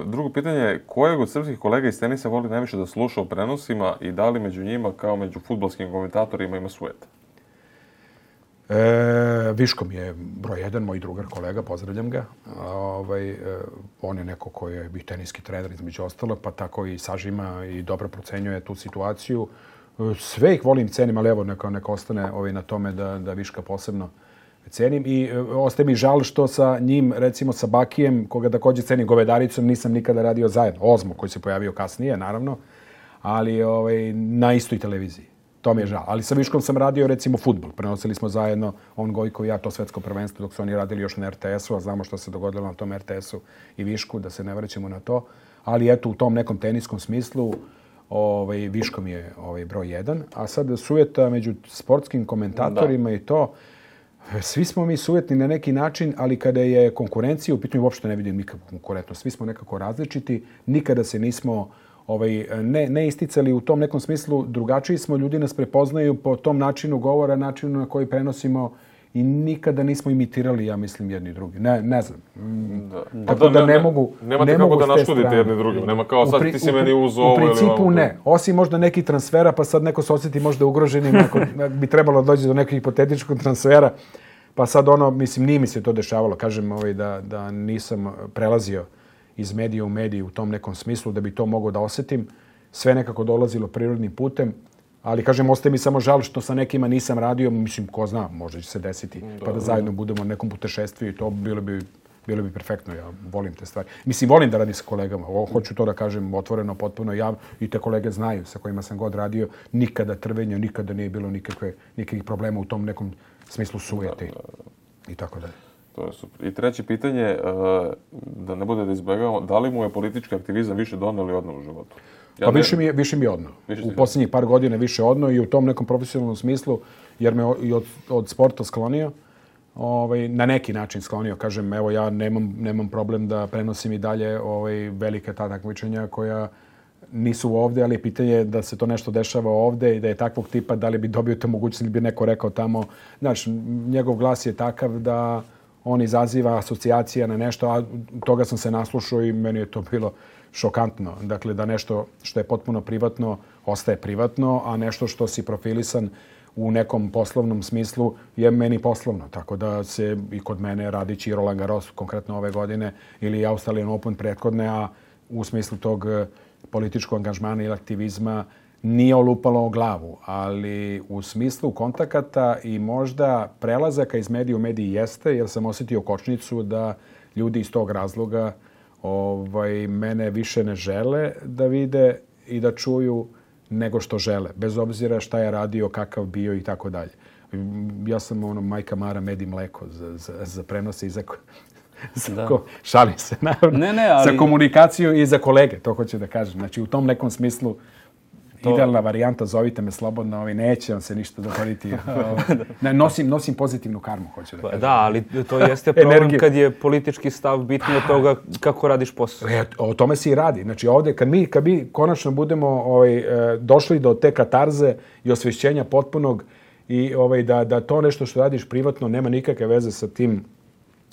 Drugo pitanje, kojeg od srpskih kolega iz tenisa voli najviše da sluša o prenosima i da li među njima, kao među fudbalskim komentatorima, ima sujeta? Viško mi je broj 1, moj drugar, kolega, pozdravljam ga. On je neko koji je i teniski trener između ostalog, pa tako i sažima i dobro procenjuje tu situaciju. Sve ih volim, cenim, ali evo neka ostane na tome da Viška posebno cenim. I ostaje mi žal što sa njim, recimo sa Bakijem, koga također cenim, Govedaricom, nisam nikada radio zajedno. Ozmo, koji se pojavio kasnije, naravno, ali na istoj televiziji. To mi je žal. Ali sa Viškom sam radio, recimo, fudbal. Prenosili smo zajedno, on, Gojko i ja, to svetsko prvenstvo, dok su oni radili još na RTS-u, a znamo što se dogodilo na tom RTS-u i Višku, da se ne vraćamo na to. Ali eto, u tom nekom teniskom smislu, Viško mi je broj 1. A sad sujeta među sportskim komentatorima i to, svi smo mi sujetni na neki način, ali kada je konkurencija, u pitanju uopšte ne vidim nikakvu konkurentnost. Svi smo nekako različiti, nikada se nismo ne isticali u tom nekom smislu, drugačiji smo, ljudi nas prepoznaju po tom načinu govora, načinu na koji prenosimo i nikada nismo imitirali, ja mislim, jedni i drugi. Ne znam. Tako da ne mogu. Nemate kako da naškodite jedni drugim. Nema kao sad ti si meni uz ovo ili ovo. U principu ne. Osim možda nekih transfera, pa sad neko se osjeti možda ugroženim ako bi trebalo doći do nekog hipotetičkog transfera. Pa sad mislim, nije mi se to dešavalo. Kažem da nisam prelazio iz medija u mediju u tom nekom smislu da bi to mogao da osjetim. Sve nekako dolazilo prirodnim putem. Ali, kažem, ostaje mi samo žal što sa nekima nisam radio. Mislim, ko zna, možda će se desiti. Pa da zajedno budemo u nekom putešestvu i to bilo bi perfektno. Ja volim te stvari. Mislim, volim da radim sa kolegama. Hoću to da kažem otvoreno, potpuno javno. I te kolege znaju sa kojima sam god radio. Nikada trvenja, nikada nije bilo nikakvih problema u tom nekom smislu sujete i tako dalje. To je super. I treće pitanje, da ne bude da izbjegavamo, da li mu je politički aktivizam više doneo ili odneo u životu? Pa više mi je odneo. U posljednjih par godina više odneo i u tom nekom profesionalnom smislu, jer me i od sporta sklonio, na neki način sklonio. Kažem, evo ja nemam problem da prenosim i dalje velike ta takmičenja koja nisu ovdje, ali pitanje je da se to nešto dešava ovdje i da je takvog tipa, da li bi dobio te mogućnost ili bi neko rekao tamo. Znaš, njegov glas je takav da on izaziva asocijacija na nešto, a toga sam se naslušao i meni je to bilo šokantno. Dakle, da nešto što je potpuno privatno ostaje privatno, a nešto što si profilisan u nekom poslovnom smislu je meni poslovno. Tako da se i kod mene radići Roland Garros konkretno ove godine ili Australian Open prethodne, a u smislu tog političkog angažmana ili aktivizma nije olupalo o glavu, ali u smislu kontakata i možda prelazaka iz medija u mediji jeste, jer sam osjetio kočnicu da ljudi iz tog razloga mene više ne žele da vide i da čuju nego što žele, bez obzira šta je radio, kakav bio i tako dalje. Ja sam majka Mara, med i mleko za prenose i za šalim se, naravno, za komunikaciju i za kolege, to hoću da kažem. Znači, u tom nekom smislu idealna varijanta, zovite me slobodno, neće vam se ništa dogoditi. Nosim pozitivnu karmu, hoću da kažem. Da, ali to jeste problem kad je politički stav bitniji od toga kako radiš posao. O tome se i radi. Znači ovdje, kad mi konačno budemo došli do te katarze i osvješćenja potpunog i da to nešto što radiš privatno nema nikakve veze sa tim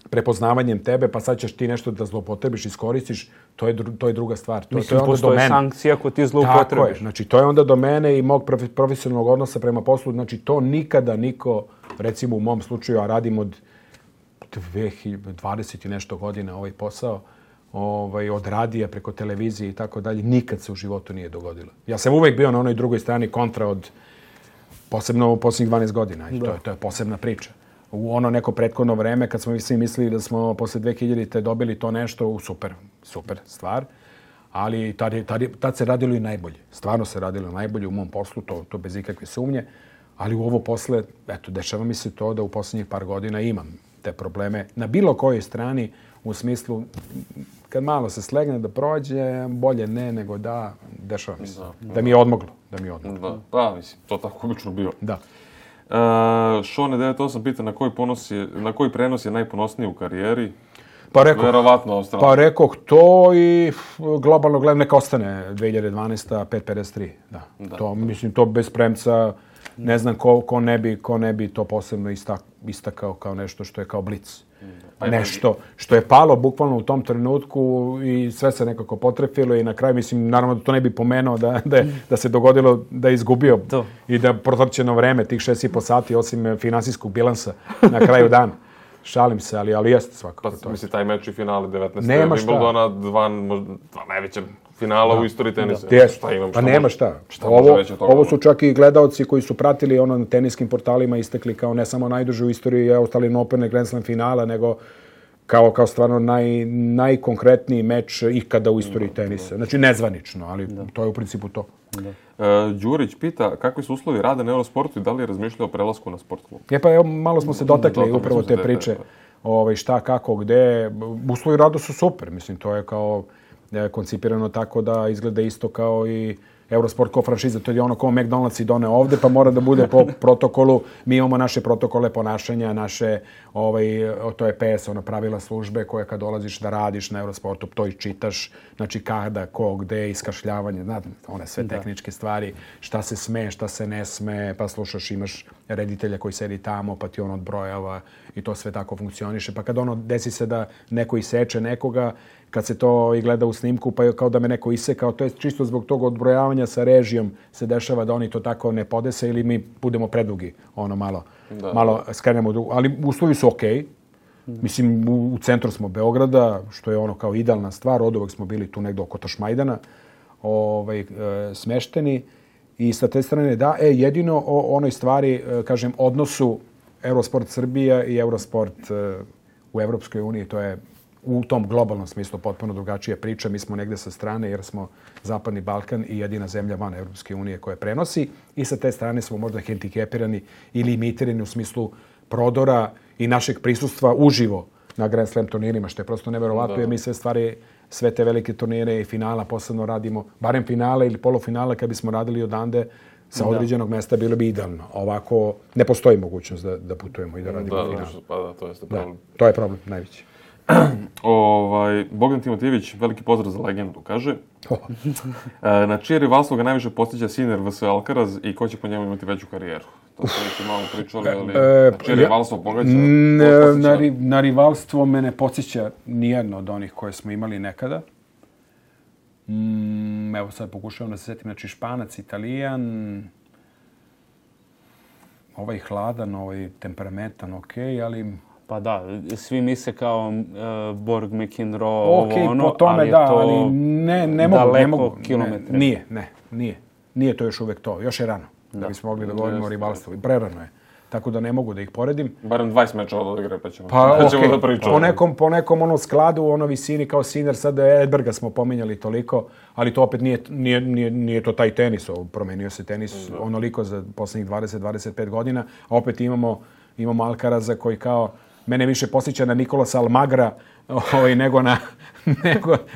prepoznavanjem tebe, pa sad ćeš ti nešto da zloupotrebiš, iskoristiš, to je druga stvar. Mislim, postoje sankcije ako ti zloupotrebiš. Tako je. Znači, to je onda do mene i mog profesionalnog odnosa prema poslu. Znači, to nikada niko, recimo u mom slučaju, a radim od 20 i nešto godina ovaj posao, od radija preko televizije i tako dalje, nikad se u životu nije dogodilo. Ja sam uvek bio na onoj drugoj strani kontra od, posebno u posljednjih 12 godina. I to je posebna priča. U ono neko prethodno vreme, kad smo svi mislili da smo posle 2000-te dobili to nešto, super stvar, ali tad se radilo i najbolje. Stvarno se radilo najbolje u mom poslu, to bez ikakve sumnje, ali u ovo posle, dešava mi se to da u posljednjih par godina imam te probleme na bilo kojoj strani, u smislu, kad malo se slegne da prođe, bolje ne nego da, dešava mi se. Da mi je odmoglo. Da, mislim, to tako obično bio. Da. Šone 98 pita na koji prenos je najponosniji u karijeri? Pa rekoh to i globalno gledam neka ostane 2012. 5.53. Da. To, mislim, to bez premca ne znam ko ne bi to posebno istakao kao nešto što je kao blic. Nešto što je palo bukvalno u tom trenutku i sve se nekako potrefilo i na kraju, mislim, naravno da to ne bi pomenuo da se dogodilo da je izgubio i da protrčeno vreme tih 6,5 sati osim finansijskog bilansa na kraju dana. Šalim se, ali jeste svakako to. Mislim, taj meč i finale 19. Wimbledona, dva najveća finala u istoriji tenisa. Pa nema šta. Ovo su čak i gledaoci koji su pratili na teniskim portalima istekli kao ne samo najduže u istoriji Australian Open i Grand Slam finala, nego kao stvarno najkonkretniji meč ikada u istoriji tenisa. Znači nezvanično, ali to je u principu to. Đurić pita kakvi su uslovi rada na Eurosportu i da li je razmišljao o prelasku na sport klub? Malo smo se dotakli upravo te priče. Šta, kako, gde. Uslovi rada su super. Mislim, to je kao koncipirano tako da izgleda isto kao i Eurosport kao franšiza. To je ono kao McDonald's i done ovde, pa mora da bude po protokolu. Mi imamo naše protokole ponašanja, naše, to je PS, pravila službe koje kad dolaziš da radiš na Eurosportu, to i čitaš, znači kada, ko, gde, iskašljavanje, znate, one sve tehničke stvari, šta se sme, šta se ne sme, pa slušaš, imaš reditelja koji sedi tamo, pa ti on odbrojava i to sve tako funkcioniše. Pa kad desi se da neko iseče nekoga, kad se to i gleda u snimku, pa je kao da me neko isekao, to je čisto zbog tog odbrojavanja sa režijom se dešava da oni to tako ne podese ili mi budemo predugi, malo skrenemo drugu. Ali uslovi su okej. Mislim, u centru smo Beograda, što je kao idealna stvar, od uvek smo bili tu negdje oko Tašmajdana, smešteni. I sa te strane, jedino o onoj stvari, kažem, odnosu Eurosport Srbija i Eurosport u Evropskoj uniji, to je u tom globalnom smislu potpuno drugačija priča. Mi smo negde sa strane jer smo Zapadni Balkan i jedina zemlja van Evropske unije koja prenosi i sa te strane smo možda hendikepirani ili limitirani u smislu prodora i našeg prisustva uživo na Grand Slam turnirima, što je prosto neverovatno jer mi sve te velike turnire i finala posebno radimo, barem finale ili polufinale kad bismo radili odande sa određenog mesta bilo bi idealno. Ovako ne postoji mogućnost da putujemo i da radimo final. To jeste problem. To je problem najveći. Bogdan Timotijević, veliki pozdrav za legendu, kaže. Na čije rivalstvo ga najviše podsjeća Sinner vs. Alcaraz i ko će po njemu imati veću karijeru? To smo već malo pričali, ali na čije rivalstvo pogađa? Na rivalstvo me ne podsjeća nijedno od onih koje smo imali nekada. Evo sad pokušavam da se setim, znači Španac, Italijan, ovaj hladan, ovaj temperamentan, okej, ali Pa da, svi misle kao Borg, McEnroe, Okej, ovo ono, po tome ali je da, to ali ne mogu. kilometre. Nije to još uvek to. Još je rano da bismo mogli da govorimo o rivalstvu. Prerano je. Tako da ne mogu da ih poredim. Barem 20 mečeva od igre, pa ćemo da pričamo. Po nekom ono skladu, ono visini kao Sinner, sad Edberga smo pominjali toliko, ali to opet nije to taj tenis. Promenio se tenis onoliko za poslednjih 20-25 godina, a opet imamo Alcaraza koji kao mene više posjeća na Nikolasa Almagra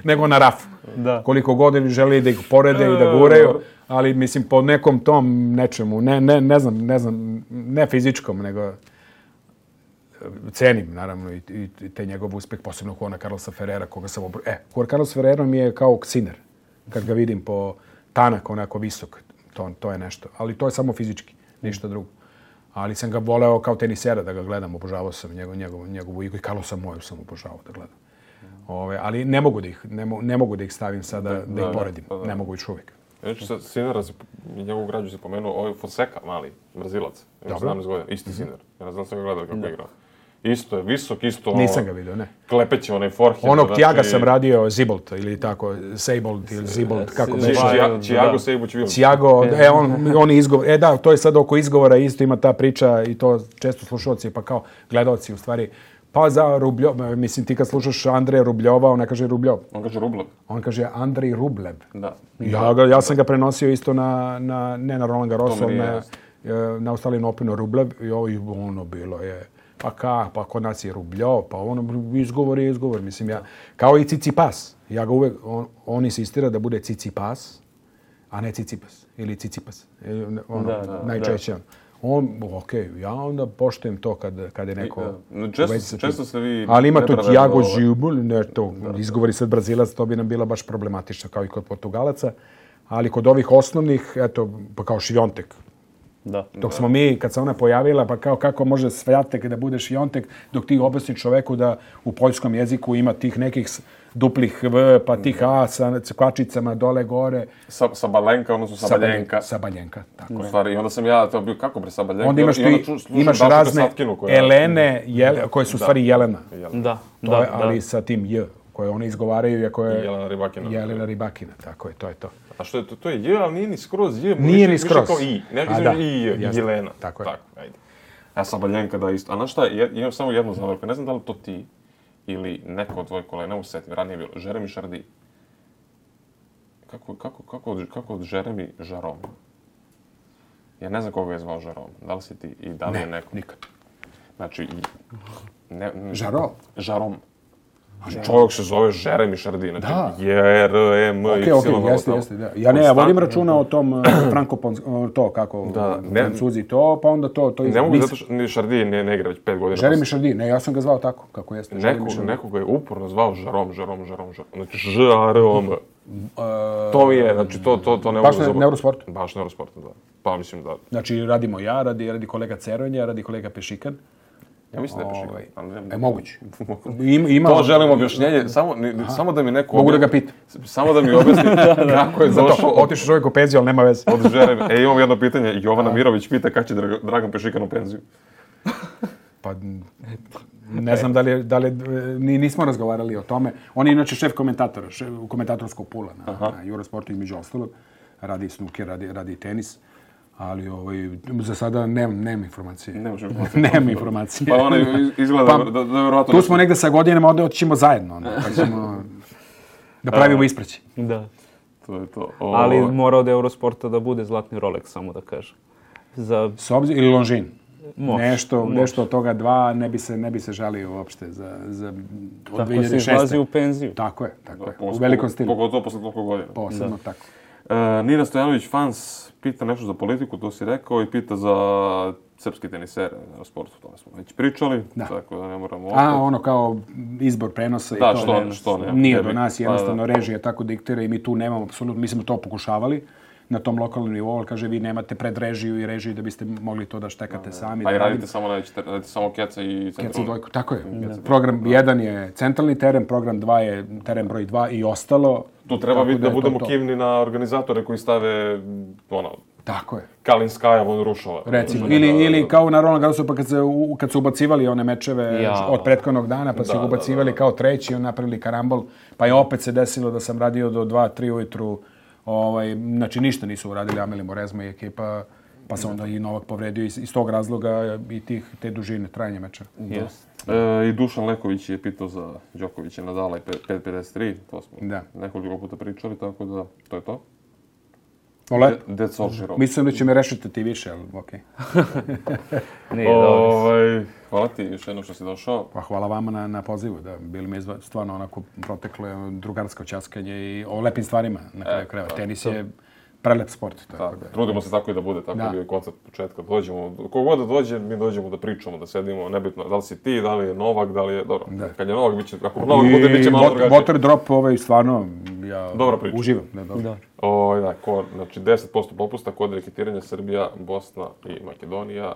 nego na Rafu. Da. Koliko godina želi da ih porede i da guraju, ali mislim po nekom tom nečemu, ne znam, ne fizičkom, nego cenim naravno i te njegov uspeh, posebno Juana Carlosa Ferrera, koga sam Juan Carlos Ferrero mi je kao Sinner, kad ga vidim po tanak, onako visok, to je nešto, ali to je samo fizički, ništa drugo. Ali sam ga voleo kao tenisera da ga gledam, obožavao sam njegovu igru i Carlosa Moju sam obožavao da gledam. Ali ne mogu da ih stavim sada da ih poredim, ne mogu još uvijek. Znači, sad Sinnera, njegovu građu si pomenuo, ovaj Fonseca, mali, Brazilac, ima 17 godina, isti Sinner. Ja ne znam sam ga gledao kako je igrao. Isto je visok, isto ono... Nisam ga vidio, ne. Klepeće onaj forehand. Onog Thiaga sam radio Zibolt ili tako, Seibold ili Zibolt, kako beše. Thiago Seibold Williams. Thiago, on izgovor, da, to je sad oko izgovora, isto ima ta priča i to često slušalci, pa kao gledalci u stvari. Pa za Rubljov, mislim ti kad slušaš Andreja Rubljova, on ne kaže Rubljov. On kaže Rublev. On kaže Andrej Rublev. Da. Ja sam ga prenosio isto ne na Roland Garrosu, na Australian Openu Rublev i ono bilo je, pa kod nas je Rubljov, pa ono izgovor, mislim ja, kao i Tsitsipas. Ja ga uvek, on insistira da bude Tsitsipas, a ne Tsitsipas ili Tsitsipas. Najčešće. Ja onda poštujem to kad je neko... Često se vi... Ali ima to Thiago Gilbert, izgovori sad Brazilac, to bi nam bilo baš problematično kao i kod Portugalaca. Ali kod ovih osnovnih, eto, pa kao Šviontek. Dok smo mi, kad se ona pojavila, pa kao kako može Sviatek da bude Šviontek, dok ti objasni čoveku da u poljskom jeziku ima tih nekih duplih V, pa tih A sa kvačicama dole gore. Sabalenka, odnosno Sabaljenka. Sabaljenka, tako je. U stvari, onda sam ja to bio, kako bre Sabaljenka? Onda imaš razne Elene, koje su u stvari Jelena. Da. Ali sa tim J, koje one izgovaraju, iako je Jelena Ribakina, tako je, to je to. A što je to? To je J, ali nije ni skroz J. Nije ni skroz. Više kao I. Nekako između I i J. Jelena. Tako je. Ajde. A Sabaljenka da isto. A znaš šta, imam samo jednu zamerku. Ne znam da li to ti ili neko od tvojih kolega, ne mogu se setiti, ranije je bilo, Jeremy Chardy. Kako od Jeremy Jarom? Ja ne znam koga je zvao Jarom. Da li si ti i da li je neko? Ne, nikad. Znači... Jarom? Čovjek se zove Jeremy Chardy, znači J-R-E-M-Y. Jeste, da. Ja vodim računa o tom to kako Francuzi to, pa onda to ne mogu zato što Chardy ne igra već 5 godina. Jeremy Chardy, ne, ja sam ga zvao tako, kako jeste. Neko ga je uporno zvao Jarom. Znači Ž-A-R-O-M. To mi je, znači to ne mogu zaboraviti. Baš Neurosportu? Baš Neurosportu, da. Pa mislim da... Znači radimo ja, radi kolega Ceronja, radi kolega Pešikan. Ja mislim da je Pešikan. Moguće. To želim objašnjenje, samo da mi neko... Mogu da ga pitam. Samo da mi objasni kako je došao... Otišao čovjek u penziju, ali nema veze. Od Jeremy. Imam jedno pitanje. Jovana Mirović pita kad će Dragan Pešikan u penziju. Pa ne znam da li nismo razgovarali o tome. On je inače šef komentatora, komentatorskog pula na Eurosportu između ostalog. Radi snooker, radi tenis. Ali za sada nemam informacije. Nemam informacije. Pa ona izgleda da je vjerovatno... Tu smo negde sa godinama, onda otićemo zajedno. Pa ćemo da pravimo ispraći. Da. To je to. Ali mora od Eurosporta da bude zlatni Rolex, samo da kažem. Ili Longines. Nešto od toga dva ne bi se žalio uopšte za 2006. Tako se izlazi u penziju. Tako je. U velikom stilu. Pogotovo posle toliko godina. Posebno tako. Nina Stojanović fans pita nešto za politiku, to si rekao, i pita za srpski tenisere na sportu, to smo već pričali, tako da ne moramo opet. Ono kao izbor prenosa i to. Da, što ne. Nije do nas, jednostavno režija tako diktira i mi tu nemamo apsolutno, mi smo to pokušavali na tom lokalnom nivou, ali kaže vi nemate predrežiju i režiju da biste mogli to da štekate sami. A i radite samo keca i centralni. Dvojku, tako je. Program 1 je centralni teren, program 2 je teren broj 2 i ostalo. Tu treba da budemo kivni na organizatore koji stave Tako je. Kalinskaja od Rušova. Recimo, ili kao na Roland Garrosu, pa kad su ubacivali one mečeve od prethodnog dana, pa su ih ubacivali kao treći, on napravili karambol, pa je opet se desilo da sam radio do 2-3 ujutru, znači ništa nisu uradili Ameli Morezma i ekipa, pa se onda i Novak povredio iz tog razloga i te dužine trajanja meča. I Dušan Leković je pitao za Đokovića, Nadala i 5.53, to smo nekoliko puta pričali, tako da to je to. Mislim da će me rešiti ti više, ali okej. Hvala ti još jednom što si došao. Pa hvala vama na pozivu, da bili mi stvarno onako proteklo drugarsko ćaskanje i o lepim stvarima na kraju krajeva. Tenis je prelep sport. Trudimo se tako i da bude, tako je bio koncept početka. Kogod da dođe, mi dođemo da pričamo, da sedimo, nebitno da li si ti, da li je Novak, da li je... Dobro, kad je Novak, ako Novak bude, bit će malo drugačije. Water drop, stvarno, ja uživam. Znači, 10% popusta kod reketiranja Srbija, Bosna i Makedonija.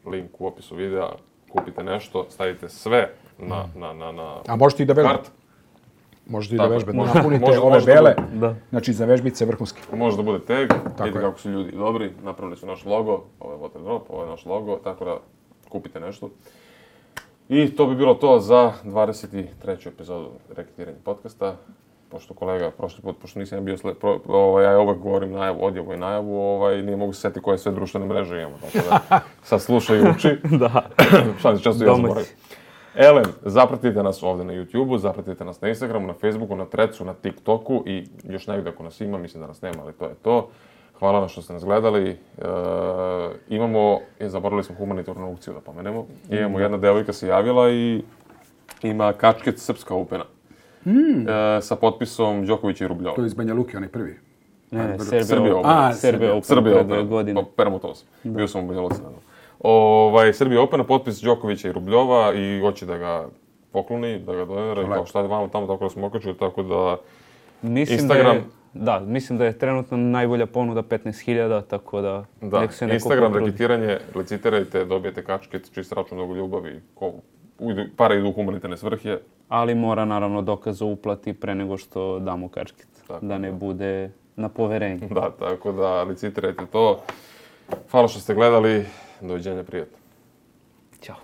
Link u opisu videa, kupite nešto, stavite sve na a možete i da vežbate. Možete i da vežbate. Napunite ove bele, znači za vežbice vrhunski. Može da bude tag, vidite kako su ljudi dobri, napravili su naš logo, ovo je Water Drop, ovo je naš logo, tako da kupite nešto. I to bi bilo to za 23. epizodu Reketiranja podcasta. Pošto kolega, prošli put, pošto nisam ja bio ja uvek govorim odjavu i najavu, nije mogu se setiti koje sve društvene mreže imamo, tako da sad slušaj i uči. Šta se često ja zaboravim. Elem, zapratite nas ovde na YouTube-u, zapratite nas na Instagramu, na Facebooku, na Threadsu, na TikToku i još negdje ako nas ima, mislim da nas nema, ali to je to. Hvala vam što ste nas gledali. Zaboravili smo humanitarnu aukciju da pomenemo. Imamo jedna devojka se javila i ima kačket Srpska Opena. Sa potpisom Đokovića i Rubljova. To je iz Banja Luke, onaj prvi. Ne, Serbia Open, Permutovs. Bio sam u Banja Luci. Serbia Open, potpis Đokovića i Rubljova i hoće da ga pokloni, da ga donira i kao šta je vama tamo, tako da smo okačili, tako da Instagram... Mislim da je trenutno najbolja ponuda 15.000, tako da nek se neko Instagram, reketiranje, licitirajte, dobijete kačket, čist račun mnogo ljubavi, pare idu u humanitarne svrhe. Ali mora naravno dokaz o uplati pre nego što damo kačket, da ne bude na poverenje. Da, tako da licitirajte to. Hvala što ste gledali, doviđenja, prijatno. Ćao.